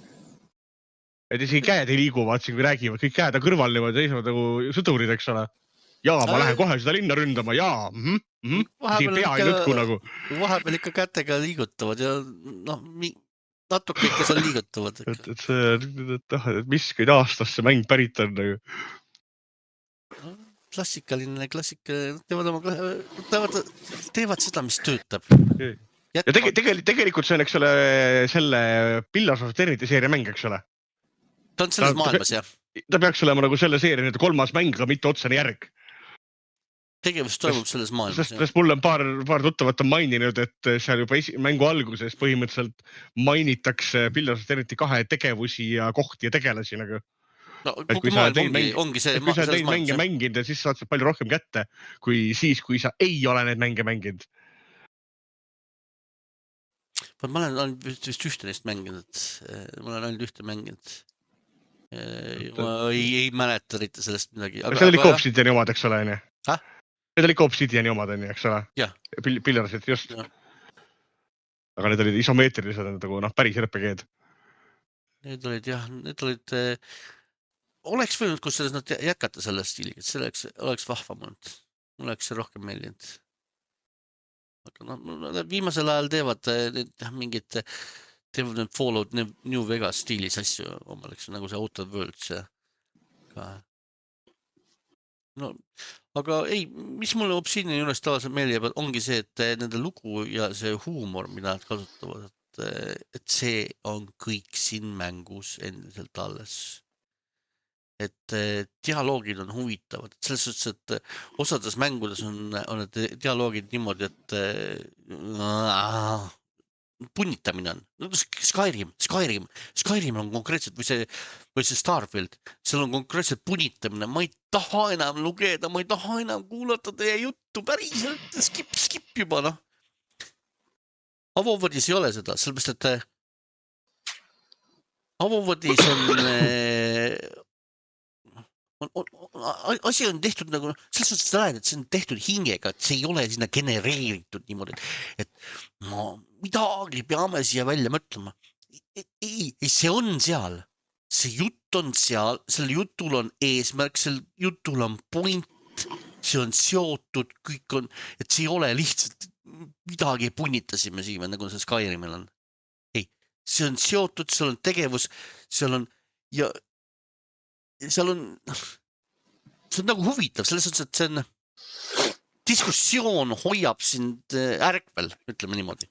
Et isegi käed ei liigu, vaatasin, kui räägivad, kõik käed on kõrval niimoodi seisvad nagu sõdurid, eks ole. Jaa, ma Ai. lähen kohe seda linna ründama, jaa, mhm, mhm. Isegi Vahepeal pea ei ikka- nõtku nagu. Vahepeal ikka kätega liigutavad ja noh, mi- natuke ikka seal liigutavad. Et, Ikka. et see, et, et, et miskid aastast see mäng pärit on nagu. Klassikaline, klassikaline, teevad oma, teevad, teevad seda, mis töötab. Ja tege, tegelikult, tegelikult see on, eks ole, selle Pillars of Eternity seeria mäng, eks ole. Ta on selles Ta- maailmas, jah. Ta peaks olema nagu selle seeria nüüd kolmas mäng, aga mitte otsene järg. Tegevus toimub selles maailmas, Sest, jah. sest mul on paar, paar tuttavat on maininud, et seal juba esi, mängu alguses põhimõtteliselt mainitakse Pillars of Eternity kahe tegevusi ja kohti ja tegelasi nagu. No, Et kui kogu sa maailm teid ongi, mäng- ongi see Et kui sa selles teid mänge maailmas, jah. mänginud ja siis saad sa palju rohkem kätte kui siis, kui sa ei ole neid mänge mänginud. Ma olen ainult vist, vist ühte neist mänginud. Ma olen ainult ühte mänginud. Ma ei, ei mäleta eriti sellest midagi. Aga, see oli ikka Obsidiani omad, eks ole, onju? Häh? Need oli ikka Obsidiani omad, onju, eks ole? Jah. Pillarsid, just. Ja. Aga need olid isomeetrilised, nagu noh, päris R P G-d. Need olid jah, need olid, eh, oleks võinud, kus selles nad jätkata selle stiiliga, et selleks oleks vahvam olnud. Mul oleks see rohkem meeldinud. Aga noh, nad viimasel ajal teevad need, mingid, teevad need Fallout New Vegas stiilis asju omal, eks nagu see Outer Worlds ja ka. No, aga ei, mis mulle Obsidiani juures tavaliselt meeldib, ongi see, et nende lugu ja see huumor, mida nad kasutavad, et, et see on kõik siin mängus endiselt alles. Et dialoogid on huvitavad, et selles suhtes, et osades mängudes on, on need dialoogid niimoodi, et äh, punnitamine on. Skyrim, Skyrim, Skyrim on konkreetselt, või see, või see Starfield, seal on konkreetselt punnitamine. Ma ei taha enam lugeda, ma ei taha enam kuulata teie juttu, päriselt, skip, skip juba, noh. Avovodis ei ole seda, sellepärast, et Avovodis on... On, on, on, asi on tehtud nagu, selles suhtes sa näed, et see on tehtud hingega, et see ei ole sinna genereeritud niimoodi, et no, midagi peame siia välja mõtlema. Ei, ei, see on seal. See jutt on seal, sel jutul on eesmärk, sel jutul on point, see on seotud, kõik on, et see ei ole lihtsalt midagi punnitasime siia, nagu see Skyrimil on. Ei, see on seotud, seal on tegevus, seal on ja seal on, see on nagu huvitav, selles suhtes, et see on, diskussioon hoiab sind ärkvel, ütleme niimoodi.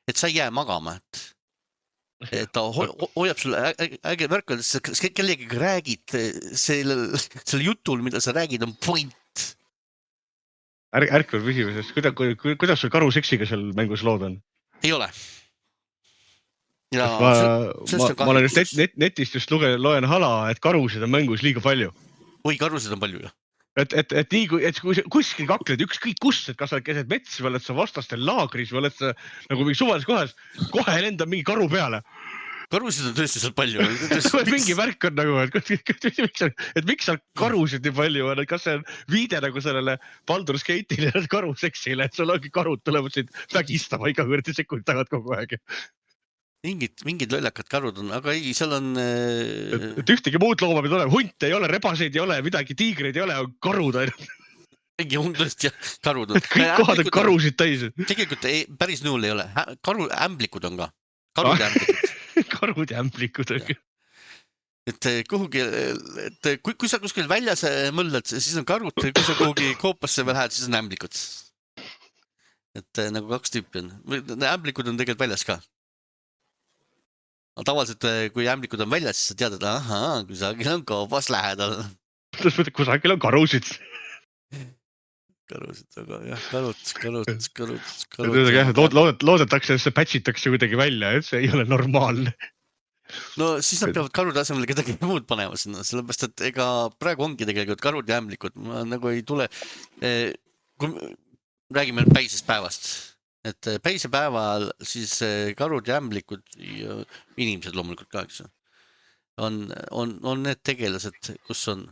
Et sa ei jää magama, et, et ta ho hoiab sulle äge värkvel, et kellegi räägid selle, selle jutul, mida sa räägid, on point. Ärk, ärkvel püsimisest, kuidas, kuidas sul karuseksiga seal mängus lood on? Ei ole. Ja, ma, ma, ma olen just net, net, netist just luge, loen hala, et karusid on mängus liiga palju. Oi, karusid on palju, jah. Et, et, et nii, et kui kuskil kakled ükskõik kus, et kas sa oled keset mets või oled sa vastastel laagris või oled sa nagu mingi suvalises kohas, kohe lendab mingi karu peale. Karusid on tõesti seal palju. mingi värk on nagu, et, et, et miks seal karusid nii palju on, et kas see on viide nagu sellele Baldur's Gate'ile ja karuseksile, et sul ongi karud tulevad sind vägistama iga kõrdi sekundi tagant kogu aeg. Mingid, mingid lollakad karud on, aga ei, seal on... Et, et ühtegi muud looma pead olema, hunt ei ole, rebaseid ei ole, midagi, tiigreid ei ole, on karud ainult. Mingi hundlast ja karud on. Kõik kohad on karusid täis. Tegelikult ei, päris nõul ei ole. Karu, ämblikud on ka. Karud ja ämblikud. Karud ja ämblikud on ka. Et kuhugi, et kui, kui sa kuskil väljas mõllad, siis on karud, kui sa kuhugi koopasse veel lähed, siis on ämblikud. Et nagu kaks tüüpi on. Ämblikud on tegelikult väljas ka. Tavaliselt, kui ämblikud on väljas, siis sa tead, et ahaa, kusagil on koopas lähedal. Kusagil on karusid. Karusid, aga jah, karud, karud, karud, karud. Loodet, loodetakse, et see patchitakse kuidagi välja, et see ei ole normaalne. no siis nad peavad karude asemel kedagi muud panema sinna, sellepärast et ega praegu ongi tegelikult karud ja ämblikud, ma nagu ei tule, kui räägime päisest päevast, et päisepäeval siis karud ja ämblikud ja inimesed loomulikult ka, eks ju, on, on, on need tegelased, kus on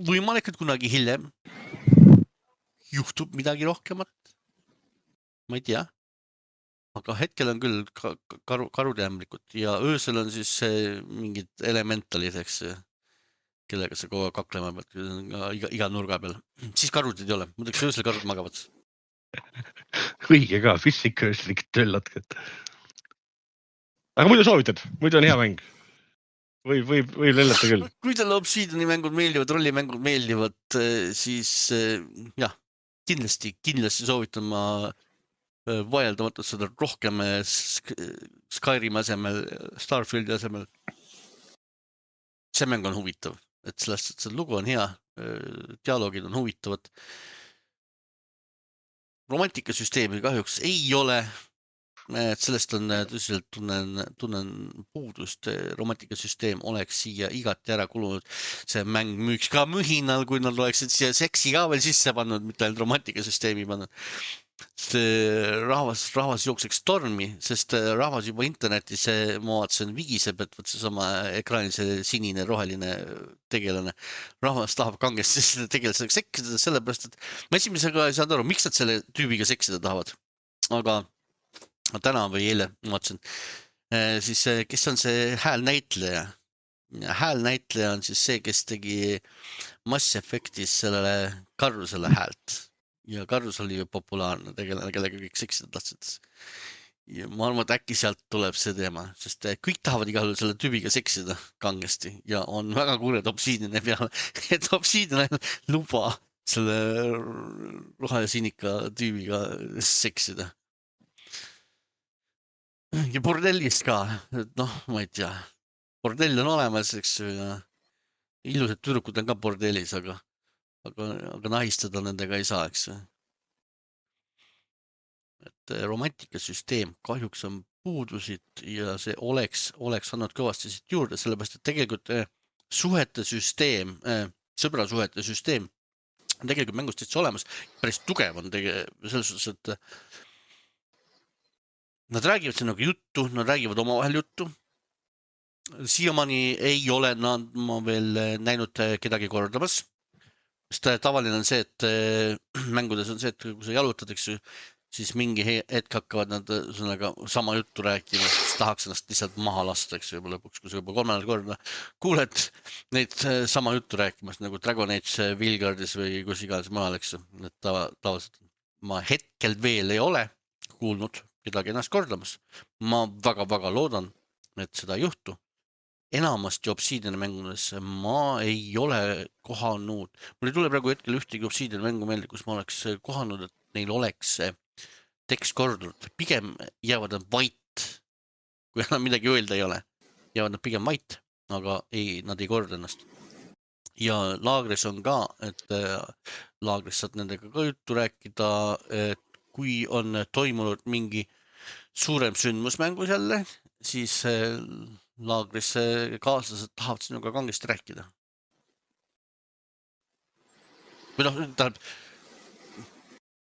võimalik, et kunagi hiljem juhtub midagi rohkemat, ma ei tea. Aga hetkel on küll karu, karud ja ämblikud ja öösel on siis mingid elementalid, eks, kellega sa kogu aeg kaklema pead iga, iga nurga peal. Siis karud ei ole, muidugi öösel karud magavad. Õige ka, füüsikaööslik töllatkad. Aga muidu soovitad, muidu on hea mäng. Või, või, või lellata küll. Kui teile Obsidiani mängud meeldivad, rollimängud meeldivad, siis jah, kindlasti, kindlasti soovitan ma vaieldamatult seda rohkem Skyrimi asemel, Starfieldi asemel. See mäng on huvitav, et sellest, et see lugu on hea, dialoogid on huvitavad. Romantikasüsteemi kahjuks ei ole, et sellest on tõsiselt tunnen, tunnen puudust. Romantikasüsteem oleks siia igati ära kulunud. See mäng müüks ka mühinal, kui nad oleksid siia seksi ka veel sisse pannud, mitte ainult romantikasüsteemi pannud. Rahvas, rahvas jookseks tormi, sest rahvas juba internetis, ma vaatasin, vigiseb, et võt see sama ekraanil see sinine roheline tegelane. Rahvas tahab kangesti seda tegelaseks seksida, sellepärast, et ma esimesega ei saanud aru, miks nad selle tüübiga seksida tahavad. Aga täna või eile vaatasin, siis kes on see häälnäitleja? Häälnäitleja on siis see, kes tegi Mass Effectis sellele Karusele häält. Ja Karus oli ju populaarne tegelane, kellega kõik seksida tahtsid. Ja ma arvan, et äkki sealt tuleb see teema, sest kõik tahavad igal juhul selle tüübiga seksida kangesti ja on väga kuuled Obsidiani peale, et Obsidian luba selle rohelisinika tüübiga seksida. Ja bordellist ka, et noh, ma ei tea, bordell on olemas, eks ju, ja ilusad tüdrukud on ka bordellis, aga Aga, aga nahistada nendega ei saa, eks. Et romantikasüsteem kahjuks on puudusid ja see oleks, oleks andnud kõvasti siit juurde, sellepärast, et tegelikult suhete süsteem, sõbrasuhete süsteem on tegelikult mängust täitsa olemas. Päris tugev on tegelikult selles suhtes, et nad räägivad siin nagu juttu, nad räägivad omavahel juttu. Siiamaani ei ole nad ma veel näinud kedagi kordamas. Sest tavaline on see, et mängudes on see, et kui sa jalutad, eks, siis mingi hetk hakkavad nad sõnaga sama juttu rääkima, siis tahaks ennast lihtsalt maha lasta, eks, juba lõpuks, kui sa juba kolmandal korda kuuled neid sama juttu rääkimas, nagu Dragon Age Vilgardis või kus iganes maal, eks, et tavaliselt ma hetkel veel ei ole kuulnud kedagi ennast kordamas. Ma väga-väga loodan, et seda ei juhtu. Enamasti Obsidiani mängudes ma ei ole kohanud, mul ei tule praegu hetkel ühtegi Obsidiani mängu meelde, kus ma oleks kohanud, et neil oleks tekst kordunud. Pigem jäävad nad vait, kui enam midagi öelda ei ole. Jäävad nad pigem vait, aga ei, nad ei korda ennast. Ja laagris on ka, et laagris saad nendega ka juttu rääkida, et kui on toimunud mingi suurem sündmus mängus jälle, siis laagris kaaslased tahavad sinuga kangesti rääkida. Või noh, tähendab,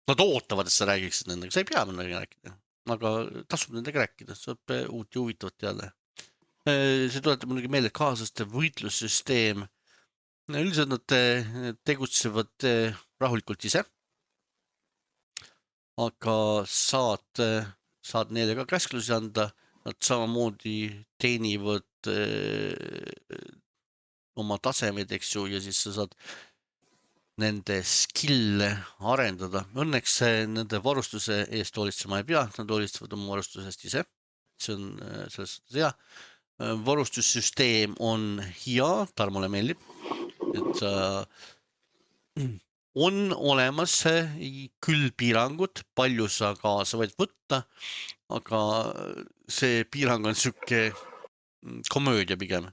nad ootavad, et sa räägiksid nendega, sa ei pea nendega rääkida, aga tasub nendega rääkida, saab uut ja huvitavat teada. See tuletab muidugi meelde kaaslaste võitlussüsteem. Üldiselt nad tegutsevad rahulikult ise, aga saad, saad neile ka käsklusi anda. Nad samamoodi teenivad öö, oma tasemed, eks ju, ja siis sa saad nende skill'e arendada. Õnneks nende varustuse eest hoolitsema ei pea, nad hoolitsevad oma varustusest ise. See on selles hea. Varustussüsteem on hea, Tarmole meeldib, et äh, on olemas küll piirangud, palju sa kaasa võid võtta, aga see piirang on siuke komöödia pigem.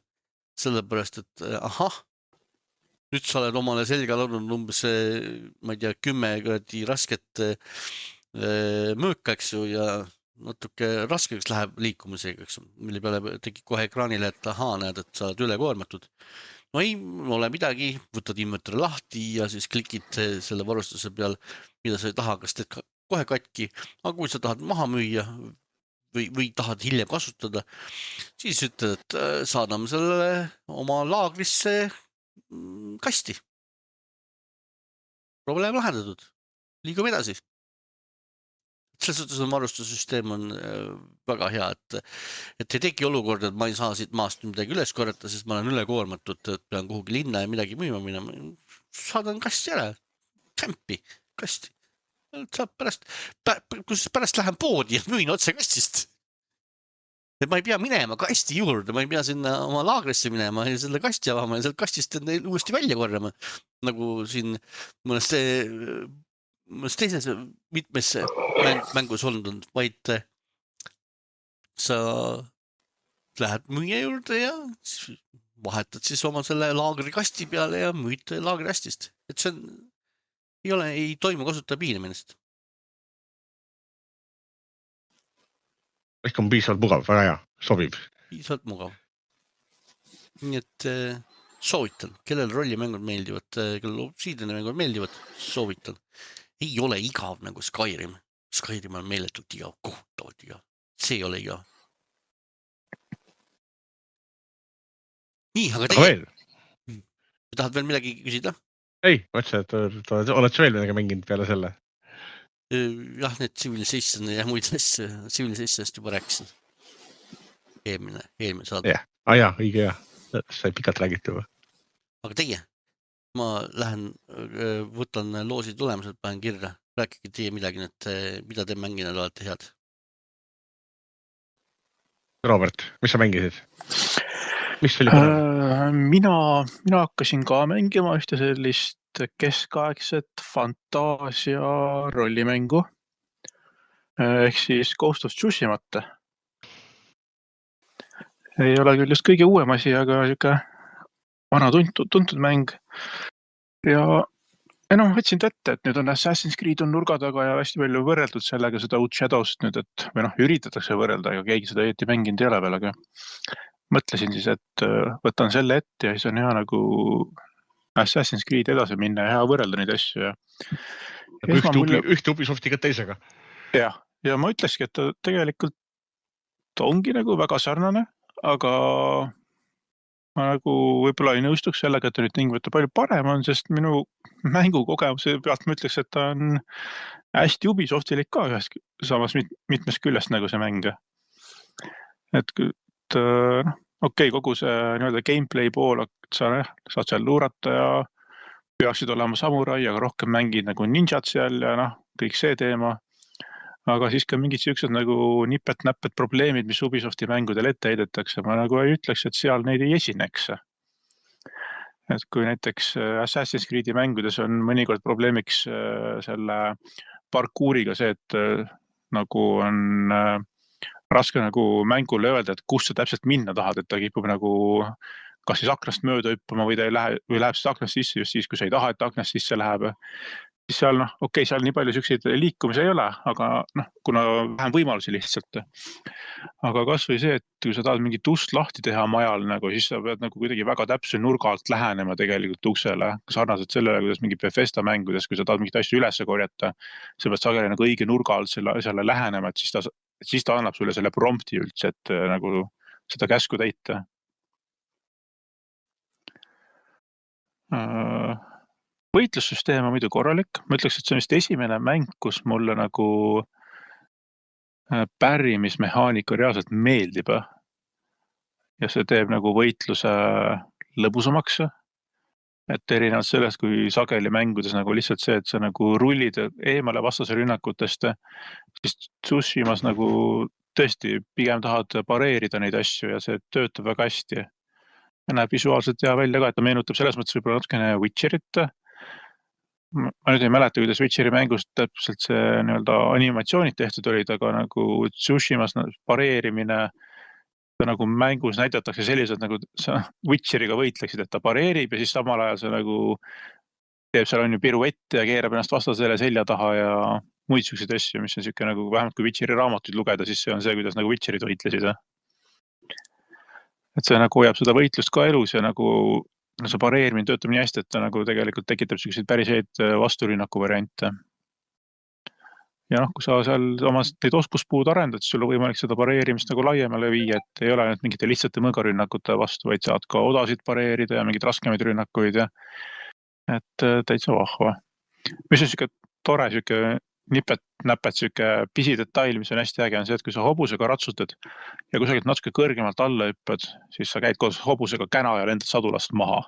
Sellepärast, et ahah, nüüd sa oled omale selga laudnud umbes, ma ei tea, kümme rasket mööka, eks ju, ja natuke raskeks läheb liikumisega, eks, mille peale tekib kohe ekraanile, et ahaa, näed, et sa oled ülekoormatud. No ei ole midagi, võtad inventori lahti ja siis klikid selle varustuse peal, mida sa ei taha, kas teed kohe katki, aga kui sa tahad maha müüa või, või tahad hiljem kasutada, siis ütled, et saadame selle oma laagrisse kasti. Probleem lahendatud, liigume edasi. Selles suhtes on varustussüsteem on väga hea, et, et ei teki olukord, et ma ei saa siit maast midagi üles korjata, sest ma olen ülekuormatud, et pean kuhugi linna ja midagi müüma minema. Saadan kasti ära, kämpi, kasti. Saab pärast, kus pärast lähen poodi ja müün otse kastist. Et ma ei pea minema kasti juurde, ma ei pea sinna oma laagrisse minema ja selle kasti avama ja sealt kastist uuesti välja korjama. Nagu siin mõnest mõnest teises mitmes mäng, mängus olnud, vaid sa lähed müüa juurde ja vahetad siis oma selle laagrikasti peale ja müüd laagrikastist. Et see on, ei ole, ei toimu kasutada piinamist. Ehk on piisavalt mugav, väga hea, sobib. Piisavalt mugav. Nii et soovitan, kellel rollimängud meeldivad, kellel obsiidiani mängud meeldivad, soovitan. Ei ole igav nagu Skyrim. Skyrim on meeletult igav, kohutavalt igav. See ei ole igav. Nii, aga teie... tahad veel midagi küsida? Ei, mõtlesin, et oled sa veel midagi mänginud peale selle? Jah, need Civilization ja muid asja. Civilizationist juba rääkisin. Eelmine, eelmine saada. Jah, ah, jah, õige jah. Sai pikalt räägiti juba. Aga teie? Ma lähen, võtan loosi tulemused, panen kirja. Rääkige teie midagi, et mida te mänginud olete head. Robert, mis sa mängisid? Mis oli äh, mina, mina hakkasin ka mängima ühte sellist keskaegset fantaasia rollimängu. Ehk siis Ghost of Tsushimat. Ei ole küll just kõige uuem asi, aga siuke vana tuntud, tuntud mäng. Ja enam võtsin ette, et nüüd on Assassin's Creed on nurga taga ja hästi palju võrreldud sellega seda uut Shadowst nüüd, et või noh, üritatakse võrrelda, aga keegi seda õieti mänginud ei ole veel, aga mõtlesin siis, et võtan selle ette ja siis on hea nagu Assassin's Creed edasi minna ja hea võrrelda neid asju. Ja... Ja ühte, mulle... ühte Ubisoftiga teisega. Ja, ja ma ütleski, et ta tegelikult ongi nagu väga sarnane, aga ma nagu võib-olla ei nõustuks sellega, et ta nüüd tingimata palju parem on, sest minu mängukogemuse pealt ma ütleks, et ta on hästi Ubisoftilik ka ühest samas mit, mitmes küljest nagu see mäng. Et, et no, okei, okay, kogu see nii-öelda gameplay pool, sa saad seal luurata ja peaksid olema samurai, aga rohkem mängid nagu ninjad seal ja noh, kõik see teema. Aga siis ka mingid siuksed nagu nipet-näppet probleemid, mis Ubisofti mängudel ette heidetakse. Ma nagu ei ütleks, et seal neid ei esineks. Et kui näiteks Assassin's Creed'i mängudes on mõnikord probleemiks selle parkuuriga see, et nagu on raske nagu mängule öelda, et kus sa täpselt minna tahad, et ta kipub nagu kas siis aknast mööda hüppama või ta ei lähe, või läheb siis aknast sisse just siis, kui sa ei taha, et aknast sisse läheb. Siis seal, noh, okei, okay, seal nii palju siukseid liikumisi ei ole, aga noh, kuna vähem võimalusi lihtsalt. Aga kas või see, et kui sa tahad mingit ust lahti teha majal, nagu, siis sa pead nagu kuidagi väga täpse nurga alt lähenema tegelikult uksele. Sarnaselt sellele, kuidas mingi Bethesda mängudes, kui sa tahad mingit asju üles korjata, sa pead sageli nagu õige nurga alt selle, selle lähenema, et siis ta, siis ta annab sulle selle prompti üldse, et nagu seda käsku täita. Võitlussüsteem on muidu korralik. Ma ütleks, et see on vist esimene mäng, kus mulle nagu pärrimismehaanika reaalselt meeldib. Ja see teeb nagu võitluse lõbusamaks. Et erinevalt sellest, kui sageli mängudes nagu lihtsalt see, et sa nagu rullid eemale vastase rünnakutest, siis Tsushimas nagu tõesti pigem tahad pareerida neid asju ja see töötab väga hästi. Ja näeb visuaalselt hea välja ka, et ta meenutab selles mõttes võib-olla natukene Witcherit. Ma nüüd ei mäleta, kuidas Witcheri mängust täpselt see nii-öelda animatsioonid tehtud olid, aga nagu Tsushimas pareerimine nagu mängus näidatakse sellised, nagu sa Witcheriga võitleksid, et ta pareerib ja siis samal ajal see nagu teeb seal on ju piruette ja keerab ennast vastasele selja taha ja muid selliseid asju, mis on siuke nagu vähemalt kui Witcheri raamatuid lugeda, siis see on see, kuidas nagu Witcherid võitlesid. Et see nagu hoiab seda võitlust ka elus ja nagu no see pareerimine töötab nii hästi, et ta nagu tegelikult tekitab selliseid päris häid vasturünnaku variante. Ja noh, kui sa seal oma neid oskuspuud arendad, siis sul on võimalik seda pareerimist nagu laiemale viia, et ei ole ainult mingite lihtsate mõõgarünnakute vastu, vaid saad ka odasid pareerida ja mingeid raskemaid rünnakuid ja et täitsa vahva. Mis on siuke tore, siuke nipet, näpet, siuke pisidetail, mis on hästi äge, on see, et kui sa hobusega ratsutad ja kusagilt natuke kõrgemalt alla hüppad, siis sa käid koos hobusega käna ja lendad sadulast maha.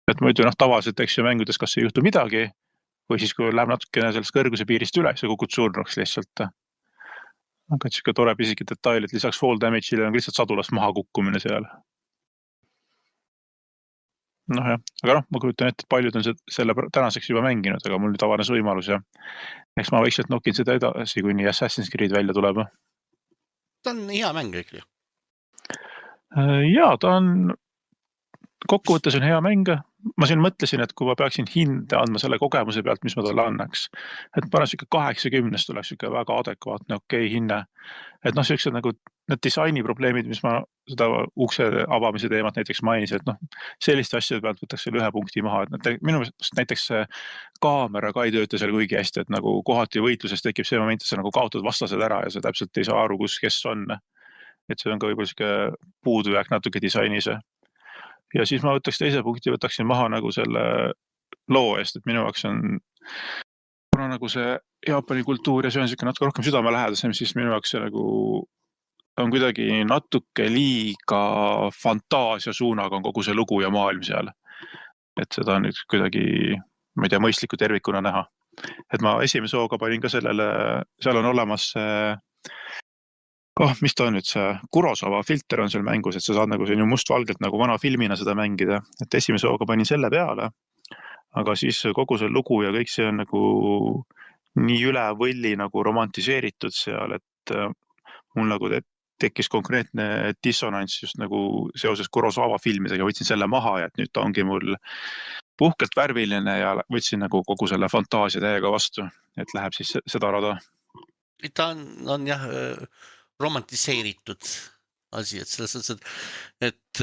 Et muidu noh, tavaliselt eks ju mängudes kas ei juhtu midagi, või siis kui läheb natukene sellest kõrguse piirist üle, siis kukud surnuks lihtsalt. Aga et siuke tore pisike detail, et lisaks fall damage'ile on lihtsalt sadulast maha kukkumine seal. Noh jah, aga noh, ma kujutan ette, et paljud on selle tänaseks juba mänginud, aga mul nüüd avanes võimalus ja eks ma vaikselt nokin seda edasi, kuni Assassin's Creed välja tuleb. Ta on hea mäng ikkagi. Jaa, ta on kokkuvõttes on hea mäng. Ma siin mõtlesin, et kui ma peaksin hinde andma selle kogemuse pealt, mis ma talle annaks, et panen siuke kaheksakümnest oleks siuke väga adekvaatne, okei hinne. Et noh, siuksed nagu need disaini probleemid, mis ma seda ukse avamise teemat näiteks mainisin, et noh, selliste asjade pealt võtaks selle ühe punkti maha. Et minu meelest näiteks see kaamera ka ei tööta seal kuigi hästi, et nagu kohati võitluses tekib see moment, et sa nagu kaotad vastased ära ja sa täpselt ei saa aru, kus kes on. Et see on ka võib-olla siuke puudujääk natuke disainis. Ja siis ma võtaks teise punkti, võtaksin maha nagu selle loo eest, et minu jaoks on kuna nagu see Jaapani kultuur ja see on siuke natuke rohkem südamelähedasem, siis minu jaoks see nagu on kuidagi natuke liiga fantaasia suunaga on kogu see lugu ja maailm seal. Et seda on nüüd kuidagi, ma ei tea, mõistliku tervikuna näha. Et ma esimese hooga panin ka sellele, seal on olemas see oh, mis ta on nüüd see Kurosawa filter on seal mängus, et sa saad nagu selline mustvalgelt nagu vana filmina seda mängida, et esimese hooga panin selle peale, aga siis kogu see lugu ja kõik see on nagu nii üle võlli nagu romantiseeritud seal, et mul nagu tekkis konkreetne dissonants just nagu seoses Kurosawa filmidega, võtsin selle maha ja et nüüd ta ongi mul puhkelt värviline ja võtsin nagu kogu selle fantaasia täiega vastu, et läheb siis seda rada. Ta on, on jah romantiseeritud asi, et selles mõttes, et, et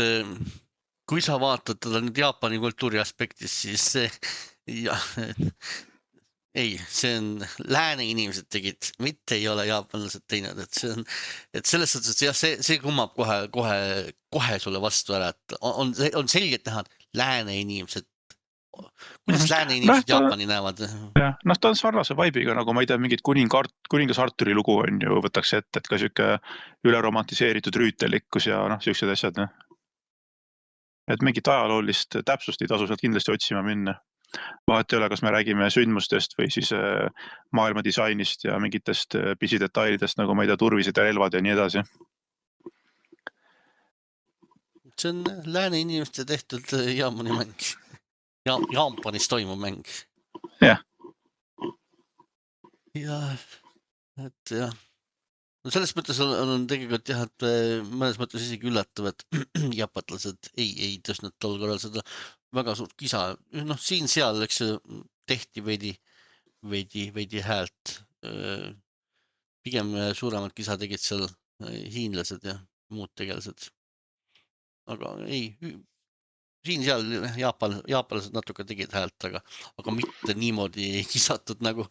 kui sa vaatad teda nüüd Jaapani kultuuri aspektis, siis see, ja, ei, see on lääne inimesed tegid, mitte ei ole jaapanlased teinud, et see on, et selles mõttes, et jah, see, see kummab kohe, kohe, kohe sulle vastu ära, et on, on selgelt näha, lääne inimesed, kuidas mm-hmm. lääne inimesed no, Jaapani näevad? Jah, noh, ta on sarnase vaibiga, nagu ma ei tea, mingid kuningar, kuningas Arturi lugu on ju, võtaks ette, et ka siuke üle romantiseeritud rüütelikkus ja noh, siuksed asjad. Ne? Et mingit ajaloolist täpsust ei tasu sealt kindlasti otsima minna. Vahet ei ole, kas me räägime sündmustest või siis maailma disainist ja mingitest pisidetailidest, nagu ma ei tea, turvised ja relvad ja nii edasi. See on lääne inimeste tehtud Jaapani mäng. Ja, Jaapanis toimub mäng. Jah. Ja, et jah. No selles mõttes on, on tegelikult jah, et mõnes mõttes isegi üllatav, et jaapatlased ei, ei tõstnud tol korral seda väga suurt kisa. Noh, siin seal, eks tehti veidi, veidi, veidi häält. Pigem suuremad kisa tegid seal hiinlased ja muud tegelased. Aga ei... Siin seal Jaapan, jaapalased natuke tegid häält, aga, aga mitte niimoodi kisatud nagu,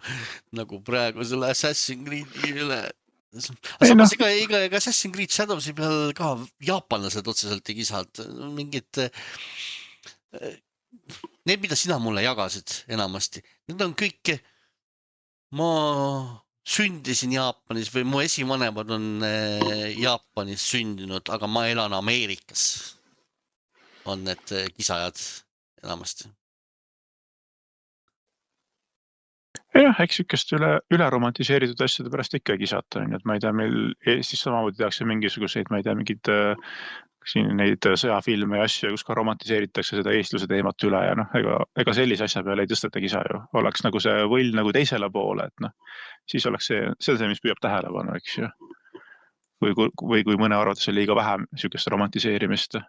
nagu praegu selle Assassin's Creed'i üle. Aga samas ega, ega, ega Assassin's Creed Shadowsi peal ka jaapanlased otseselt ei kisad. Mingid, need, mida sina mulle jagasid enamasti, need on kõik, ma sündisin Jaapanis või mu esivanemad on Jaapanis sündinud, aga ma elan Ameerikas. On need kisajad enamasti. Jah, eks ükest üle, üle romantiseeritud asjade pärast ikka kisata. Et ma ei tea, meil Eestis samamoodi tehakse mingisuguseid, ma ei tea, mingid siin neid sõjafilme ja asju, kus ka romantiseeritakse seda eestluse teemat üle ja noh, ega, ega sellise asja peale ei tõsteta kisa ju. Oleks nagu see võll nagu teisele poole, et noh, siis oleks see, see on see, mis püüab tähelepanu, eks ju. Või, või kui mõne arvates on liiga vähem siukest romantiseerimist.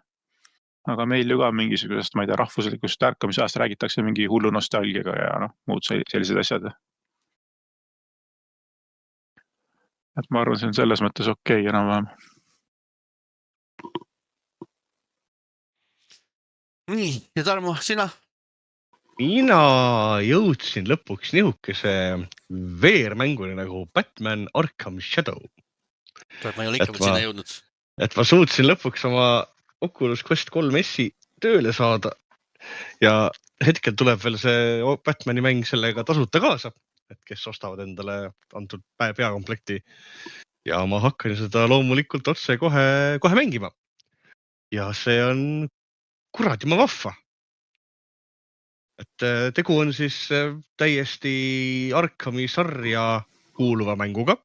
Aga meil ju ka mingisugusest, ma ei tea, rahvuslikust ärkamise ajast räägitakse mingi hullu nostalgiaga ja noh, muud sellised asjad. et ma arvan, see on selles mõttes okei okay, enam-vähem. Nii, ja Tarmo, sina? Mina jõudsin lõpuks nihukese veermänguni nagu Batman Arkham Shadow. Ma ei ole ikka sinna jõudnud. Et ma suutsin lõpuks oma Oculus Quest kolm S-i tööle saada ja hetkel tuleb veel see Batmani mäng sellega tasuta kaasa, et kes ostavad endale antud peakomplekti ja ma hakkan seda loomulikult otse kohe, kohe mängima. Ja see on kuradi ma vahva. Et tegu on siis täiesti Arkhami sarja kuuluva mänguga.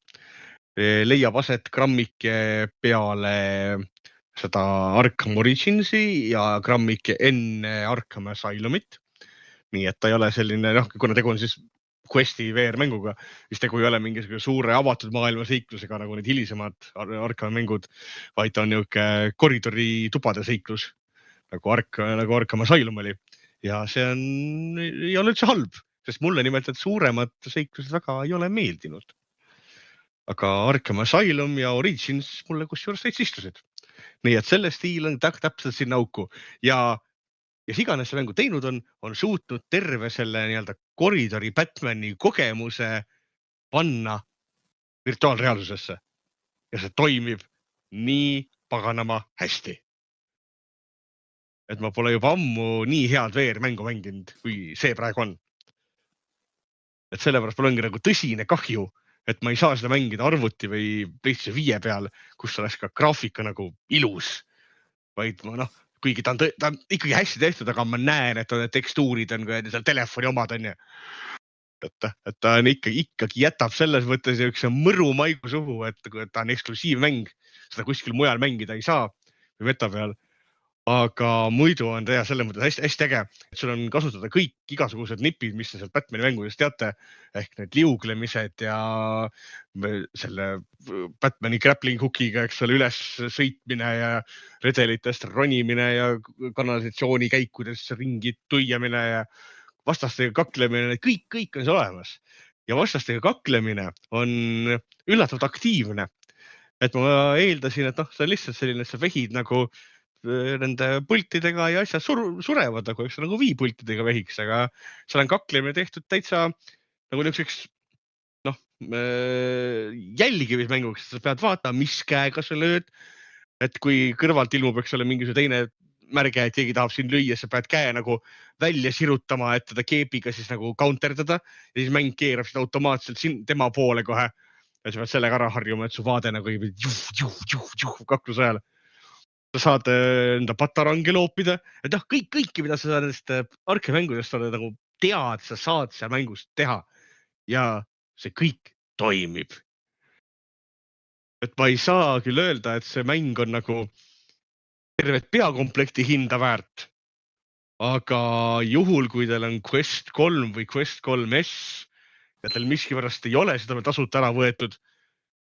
Leiab aset grammike peale seda Arkham Originsi ja grammike enne Arkham Asylumit. Nii et ta ei ole selline, noh, kuna tegu on siis Questi V R-mänguga, siis tegu ei ole mingisugune suure avatud maailma seiklusega nagu need hilisemad Arkham mängud, vaid ta on niuke koridori tupade seiklus, nagu, Ark, nagu Arkham Asylum oli. Ja see on, ei ole üldse halb, sest mulle nimelt et suuremad seiklused väga ei ole meeldinud. Aga Arkham Asylum ja Origins mulle kus juures täitsa istusid. Nii et selle stiil on täpselt sinna auku. Ja, ja iganes see mängu teinud on, on suutnud terve selle nii-öelda koridori Batmani kogemuse panna virtuaalreaalsusesse. Ja see toimib nii paganama hästi. Et ma pole juba ammu nii head V R-mängu mänginud, kui see praegu on. Et sellepärast mul ongi nagu tõsine kahju, et ma ei saa seda mängida arvuti või PlayStation viie peal, kus oleks ka graafika nagu ilus. Vaid ma noh, kuigi ta on, ta on ikkagi hästi tehtud, aga ma näen, et need tekstuurid on seal telefoni omad on ja. Et, et ta on ikkagi, ikkagi jätab selles mõttes üks mõru maigu suhu, et ta on eksklusiivmäng, seda kuskil mujal mängida ei saa või meta peal. Aga muidu on ta selles mõttes hästi, hästi äge, et sul on kasutada kõik igasugused nipid, mis te sealt Batmani mängudest teate, ehk need liuglemised ja selle Batmani grappling hookiga, eks ole, üles sõitmine ja redelitest ronimine ja kanalisatsiooni käikudest ringi tuiamine ja vastastega kaklemine, kõik, kõik on see olemas. Ja vastastega kaklemine on üllatavalt aktiivne. Et ma eeldasin, et noh, see on lihtsalt selline, et sa vehid nagu nende pultidega ja asjad sur surevad nagu, eks nagu viipultidega vehiks, aga seal on kaklemine tehtud täitsa nagu niisuguseks noh, jälgimismänguks, sa pead vaatama, mis käega sa lööd, et kui kõrvalt ilmub, eks ole, mingisugune teine märge, et keegi tahab siin lüüa, sa pead käe nagu välja sirutama, et teda keepiga siis nagu counterdada ja siis mäng keerab seda automaatselt siin tema poole kohe ja sa pead sellega ära harjuma, et su vaade nagu ei juh, juh, juh, juh, kakluse ajal. Sa saad enda patarangi loopida, et noh, kõik, kõiki, mida sa nendest arkemängudest nagu tead, sa saad seal mängust teha ja see kõik toimib. Et ma ei saa küll öelda, et see mäng on nagu tervet peakomplekti hinda väärt, aga juhul, kui teil on Quest kolm või Quest kolm S ja teil miskipärast ei ole seda tasuta ära võetud,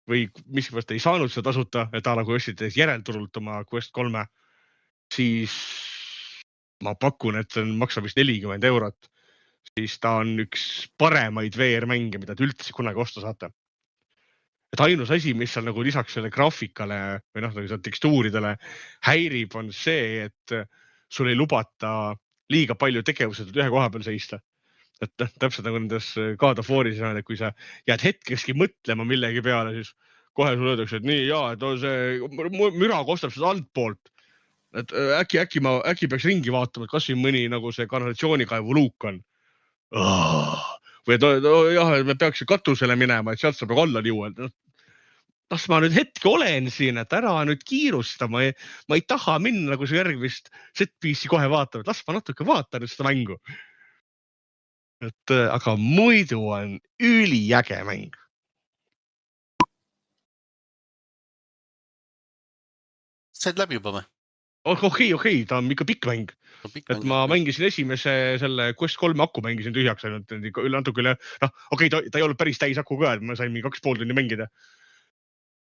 või miskipärast ei saanud seda tasuta, et ta nagu ostsid järelturult oma Quest kolme, siis ma pakun, et see maksab vist nelikümmend eurot. Siis ta on üks paremaid V R-mänge, mida te üldse kunagi osta saate. Et ainus asi, mis seal nagu lisaks selle graafikale või noh, nagu tekstuuridele häirib, on see, et sul ei lubata liiga palju tegevused ühe koha peal seista. Et täpselt nagu nendes God of War'is, et kui sa jääd hetkeski mõtlema millegi peale, siis kohe sul öeldakse, et nii, jaa, et see müra kostab seda altpoolt. Et äkki, äkki, ma, äkki peaks ringi vaatama, et kas siin mõni nagu see kanalisatsioonikaevu luuk on. Või et jah, me peaks katusele minema, et sealt saab alla liua. Las ma nüüd hetke olen siin, et ära nüüd kiirusta. Ma ei, ma ei taha minna nagu see järgmist set-piece'i kohe vaatama. Las ma natuke vaatan nüüd seda mängu. Et, aga muidu on üliäge mäng. Said läbi juba või? Okei, okei, okei, ta on ikka pikk mäng. No, pikk et mäng, ma mängisin esimese selle Quest kolme aku mängisin tühjaks ainult üle natuke üle. Noh, okei, ta, ta ei olnud päris täis aku ka, et ma sain mingi kaks pool tunni mängida.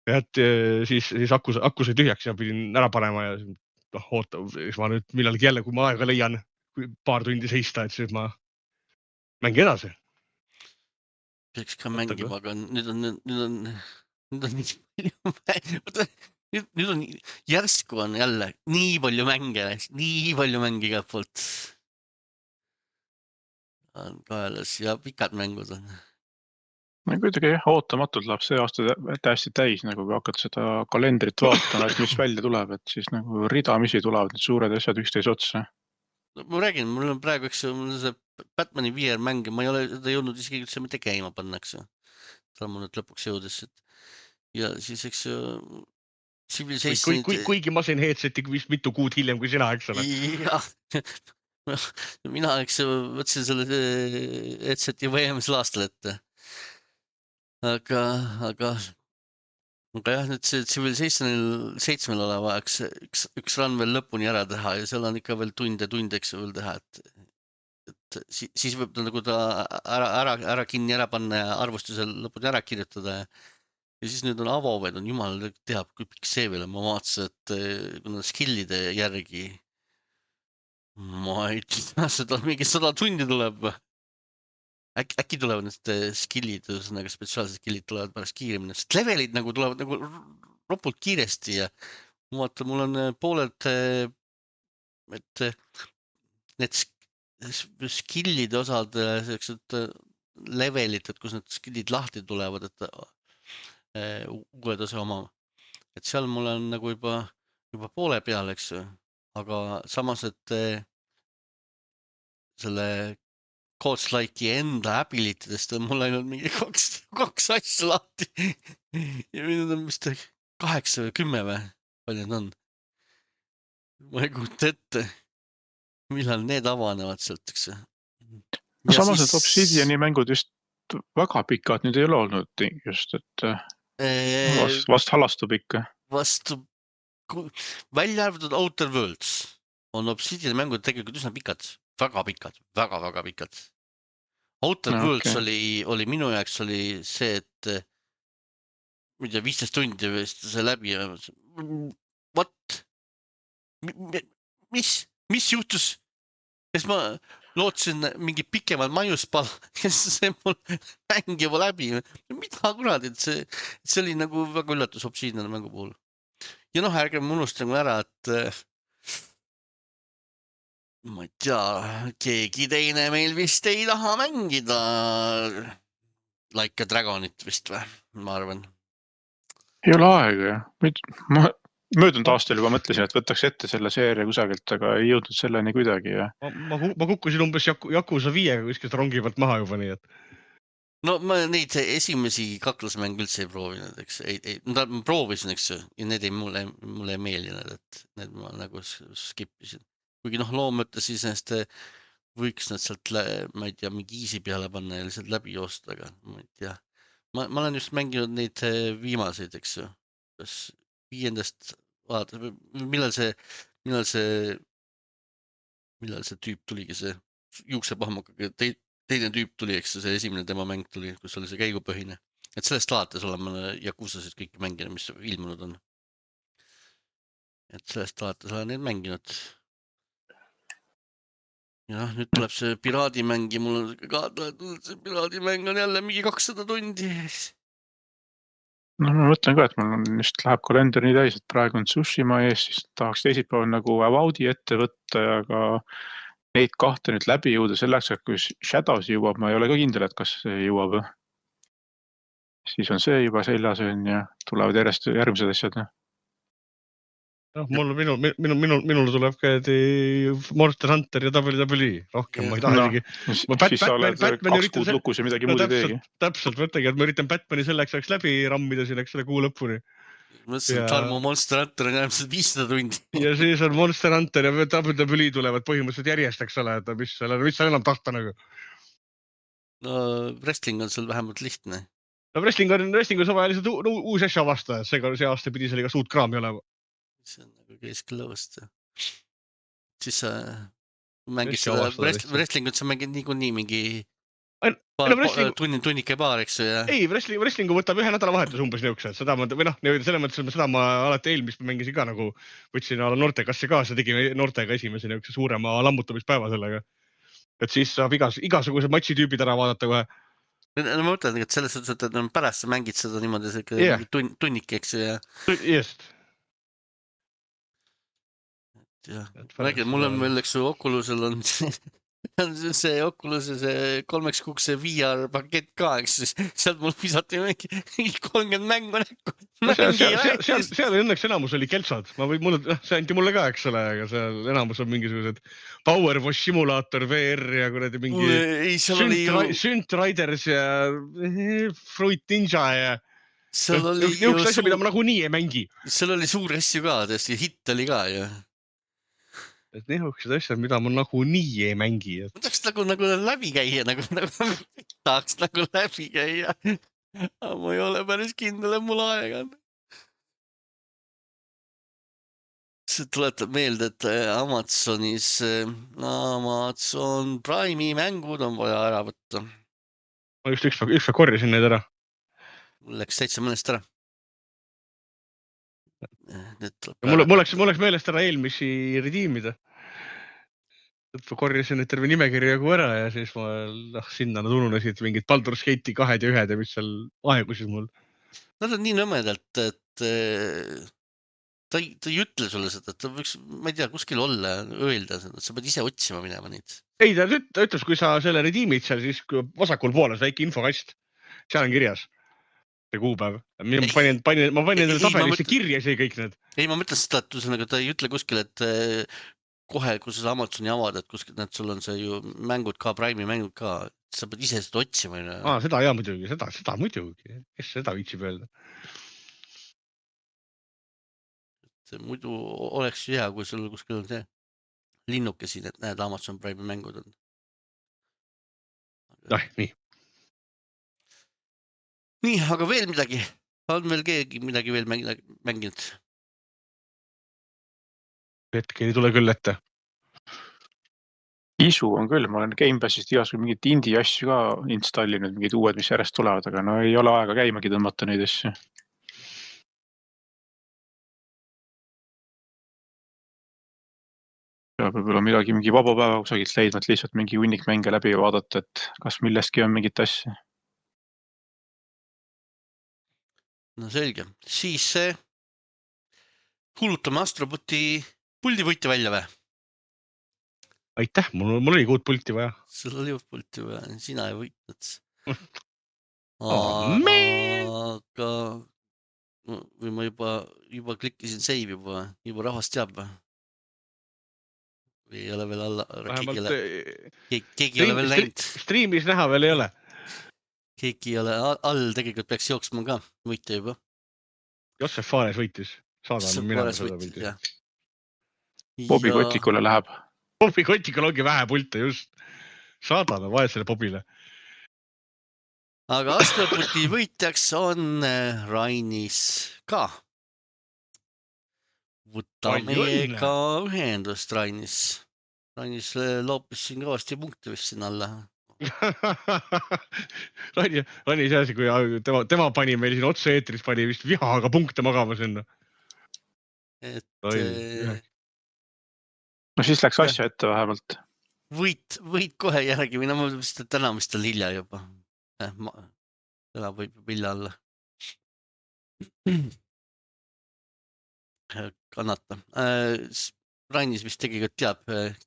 Et siis, siis aku, aku sai tühjaks ja pidin ära panema ja noh, oota, siis ma nüüd millalgi jälle, kui ma aega leian, paar tundi seista, et siis ma mängi edasi. Peaks ka mängima, aga nüüd on, nüüd on, nüüd on nii palju, nüüd, nüüd on järsku on jälle nii palju mänge, nii palju mänge igalt poolt. On kaelas ja pikad mängud on. no kuidagi jah, ootamatult läheb see aasta täiesti täis, nagu kui hakkad seda kalendrit vaatama, et mis välja tuleb, et siis nagu ridamisi tulevad need suured asjad üksteise otsa. No, ma räägin, mul on praegu, eks mul on see Batmani V R mäng, ma ei ole seda jõudnud isegi üldse mitte käima pannakse. Ta mul nüüd lõpuks jõudes, et ja siis, eks Kui, kui, kuigi ma sain headseti vist mitu kuud hiljem kui sina, eks ole. jah, mina, eks võtsin selle headseti võimesel aastal ette. Aga, aga, aga jah, nüüd see Civilization seitsmel oleva üks, üks, üks run veel lõpuni ära teha ja seal on ikka veel tunde, tundeks veel teha, et, et siis võib ta nagu ta ära, ära, ära kinni ära panna ja arvustusel lõpuni ära kirjutada ja Ja siis nüüd on avoved, on jumal teab, kui pikk see veel on. Ma vaatasin, et kuna skillide järgi ma ei tea, seda mingi sada tundi tuleb. Äk, äkki tulevad need skillid, ühesõnaga spetsiaalsed skillid tulevad pärast kiiremini. Sest levelid nagu tulevad nagu ropult kiiresti ja ma vaatan, mul on pooled, et need skillide osad, sellised levelid, et kus need skillid lahti tulevad, et uued osa oma. Et seal mul on nagu juba, juba poole peal, eks ju. Aga samas, et selle Codes-Like'i enda abilitidest on mul ainult mingi kaks, kaks asja lahti. Ja nüüd on vist kaheksa või kümme või palju need on. Ma ei kujuta ette, millal need avanevad sealt, eks ju. No samas, siis... et Obsidiani mängud just väga pikad nüüd ei ole olnud just, et Vast, vast halastub ikka. Vastu, välja arvatud Outer Worlds on Obsidian mängud tegelikult üsna pikad, väga pikad, väga, väga pikad. Outer no, Worlds okay. oli, oli minu jaoks oli see, et mida viisteist tundi vist see läbi. What? Mis? Mis juhtus? Kes ma lootsin mingi pikemalt maiuspal, kes see mul mäng juba läbi. Mida kuradi, et see, et see oli nagu väga üllatus Obsidian mängu puhul. Ja noh, ärge unustan ära, et ma ei tea, keegi teine meil vist ei taha mängida Like a Dragonit vist või, ma arvan. Ei ole aega, jah. Ma... Möödunud aastal juba mõtlesin, et võtaks ette selle seeria kusagilt, aga ei jõudnud selleni kuidagi. Ja... Ma, ma, ma kukkusin umbes Yakuza viiega kuskilt rongi pealt maha juba nii, et... No ma neid esimesi kaklusmänge üldse ei proovinud, eks. Ei, ei, ma proovisin, eks, ja need ei mulle, mulle ei meeldinud, et need ma nagu skipisin. Kuigi noh, loo mõttes siis ennast võiks nad sealt, ma ei tea, mingi easy peale panna ja lihtsalt läbi joosta, aga ma ei tea. Ma, ma olen just mänginud neid viimaseid, eks ju. Kas... viiendast vaata, millal see, millal see, millal see tüüp tuligi, see juuksepahmukaga, te, teine tüüp tuli, eks see esimene tema mäng tuli, kus oli see käigupõhine. Et sellest alates olen ma Yakuzasid kõiki mänginud, mis ilmunud on. Et sellest alates olen neid mänginud. Ja nüüd tuleb see piraadimäng ja mul on ka, see piraadimäng on jälle mingi kakssada tundi. No ma mõtlen ka, et mul just läheb kalender nii täis, et praegu on Tsushima ees, siis tahaks teisipäeval nagu Avaudi ette võtta ja ka neid kahte nüüd läbi jõuda selleks, et kui Shadows jõuab, ma ei ole ka kindel, et kas see jõuab. Siis on see juba seljas ja tulevad järjest järgmised asjad. No, mul, minu, minu, minu, minul tuleb ka Monster Hunter ja W W E rohkem, ma ei taha isegi. No, siis Batman, sa oled Batman kaks kuud lukus ja midagi no, muud ei teegi. Täpselt, mõttegi, et ma üritan Batmani selleks ajaks läbi rammida siin, eks selle kuu lõpuni. Mõtlesin, et Tarmo Monster Hunter on järgmised viissada tundi. Ja siis on Monster Hunter ja W W E tulevad põhimõtteliselt järjest, eks ole, et mis seal mis enam tahta nagu. No wrestling on seal vähemalt lihtne. No wrestling on, wrestling on sama lihtsalt uus asja vastaja, see, see aasta pidi seal iga suut kraami olema. See on nagu kesklõvast. Siis sa mängid seda wrestlingut, sa mängid niikuinii mingi tunni, tunnike paar, eks ju. Ei, wrestling, wrestlingu võtab ühe nädala vahetus umbes niuksed. Seda ma, või noh, selles mõttes, seda ma alati eelmist mängisin ka nagu, võtsin ala noortekasse kaasa, tegime noortega esimese niukse suurema lammutamispäeva sellega. Et siis saab igas, igasugused matšitüübid ära vaadata kohe. ma mõtlen, et selles suhtes, et pärast sa mängid seda niimoodi Jah. tun, tunnik, eks ju, ja, just . ja Et ma räägin, pärast mul on seda- veel, eks ju, Oculusel on see, see Oculus see kolmeks kuuks see V R pakett ka, eks ju, sealt mul visati mingi kolmkümmend mängu näkku . no seal, seal, seal, seal, seal õnneks enamus oli keltsad , ma võin , mulle , see anti mulle ka , eks ole , aga seal enamus on mingisugused Power Wash simulaator V R ja kuradi mingi ei , seal oli ju , Synth Riders ja Fruit Ninja ja seal oli ju niisugused asjad , mida suur , ma nagunii ei mängi . seal oli suuri asju ka , tõesti , hitt oli ka ju . et niisugused asjad , mida ma nagunii ei mängi . ma tahaks nagu , nagu läbi käia , nagu , nagu tahaks nagu läbi käia . aga ma ei ole päris kindel , et mul aega on . see tuletab meelde , et Amazonis , Amazon Prime'i mängud on vaja ära võtta . ma just ükspäev , ükspäev korjasin neid ära . mul läks täitsa mõnest ära . mul , mul läks , mul läks meelest ära eelmisi redeemida . korjasin neid terve nimekirja jagu ära ja siis ma , noh , sinna nad ununesid mingid Baldur's Gate'i kahed ja ühed ja mis seal aegusid mul . Nad on nii nõmedalt , et eh, ta ei , ta ei ütle sulle seda , et ta võiks , ma ei tea , kuskil olla , öelda seda , sa pead ise otsima minema neid . ei , ta üt- ta ütles , kui sa selle redeemid seal , siis kui vasakul pool on see väike infokast , seal on kirjas see kuupäev . ma Ei. panin , panin , ma panin Ei, endale ei, ma tabelisse mõtlen- kirja isegi kõik need . ei , ma mõtlen seda , et ühesõnaga ta ei ütle kuskil , et eh, kohe , kui sa seda Amazoni avad , et kuskil , need sul on see ju mängud ka , Prime'i mängud ka , sa pead ise seda otsima . aa , seda ja muidugi , seda , seda muidugi , kes seda viitsib öelda . muidu oleks ju hea , kui sul kuskil on see linnuke siin , et näed , Amazon Prime'i mängud on . noh , nii . nii , aga veel midagi , on veel keegi midagi veel mäng- mänginud ? hetkel ei tule küll ette . isu on küll , ma olen Gamepassist igasugu mingeid indie asju ka installinud , mingid uued , mis järjest tulevad , aga no ei ole aega käimagi tõmmata neid asju . peab võib-olla midagi , mingi vaba päeva kusagilt leidma , et lihtsalt mingi hunnik mänge läbi vaadata , et kas millestki on mingit asja . no selge , siis eh, kuulutame Astroboti puldivõitja välja või ? aitäh , mul , mul oli uut pulti vaja . sul oli uut pulti vaja , sina ei võitnud . Oh, man! aga või ma juba , juba klikkisin save juba , juba rahvas teab või ? või ei ole veel alla , keegi ei vähemalt ole , eh, keegi, keegi ei ole veel näinud , striimis näha veel ei ole . keegi ei ole all- all , tegelikult peaks jooksma ka võitja juba . Jossef Fares võitis . saadame minema seda pildi . Bobi Kotikule läheb . Bobi Kotikul ongi vähe pilte just . saadame vaesele Bobile . aga Astroboti võitjaks on eh, Rainis ka . võta Palju meiega ühendust , Rainis . Rainis eh, loopis siin kõvasti punkte vist siin alla . Rani , Rani see asi , kui tema , tema pani meil siin otse-eetris , pani vist vihaga punkte magama sinna . et Oi, eh, jah. no siis läks asja ette vähemalt . võit , võit kohe järgi või no ma vist , et täna vist on hilja juba . täna võib vilja olla . kannata . Rainis vist tegelikult teab ,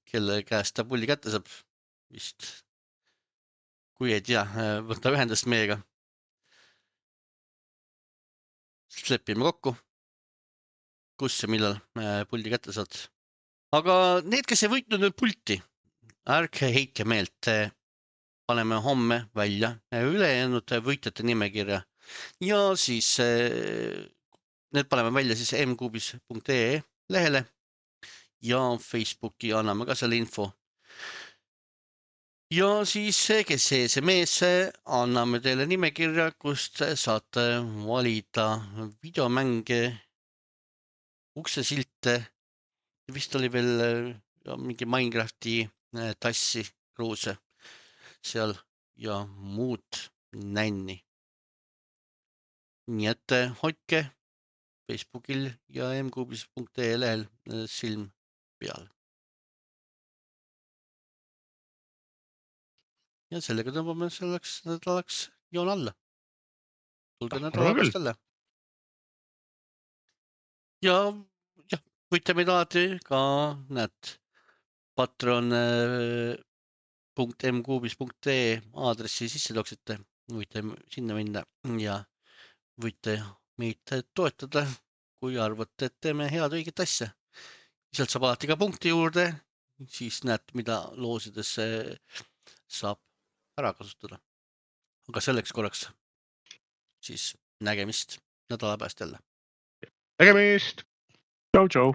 kelle käest ta pulli kätte saab vist . kui ei tea , võta ühendust meiega . siis lepime kokku , kus ja millal äh, puldi kätte saad . aga need , kes ei võitnud nüüd pulti , ärge heitke meelt . paneme homme välja ülejäänud võitjate nimekirja ja siis äh, need paneme välja siis m kuubis punkt ee lehele ja Facebooki anname ka selle info . ja siis , kes see , see mees , anname teile nimekirja , kust saate valida videomänge , uksesilte , vist oli veel ja mingi Minecrafti äh, tassi , kruuse seal ja muud nänni . nii et äh, hoidke Facebookil ja m kuubis punkt ee lehel äh, silm peal . ja sellega tõmbame selleks nädalaks joon alla. tulge Ah, nädala arvan pärast jälle. ja jah, võite meid alati ka, näed, patron punkt m kuubis punkt ee aadressi sisse tooksite, võite sinna minna ja võite meid toetada, kui arvate, et teeme head õiget asja. Sealt saab alati ka punkti juurde, siis näed, mida loosidesse saab ära kasutada. Aga selleks korraks siis nägemist nädala pärast jälle. Nägemist! tšau, tšau.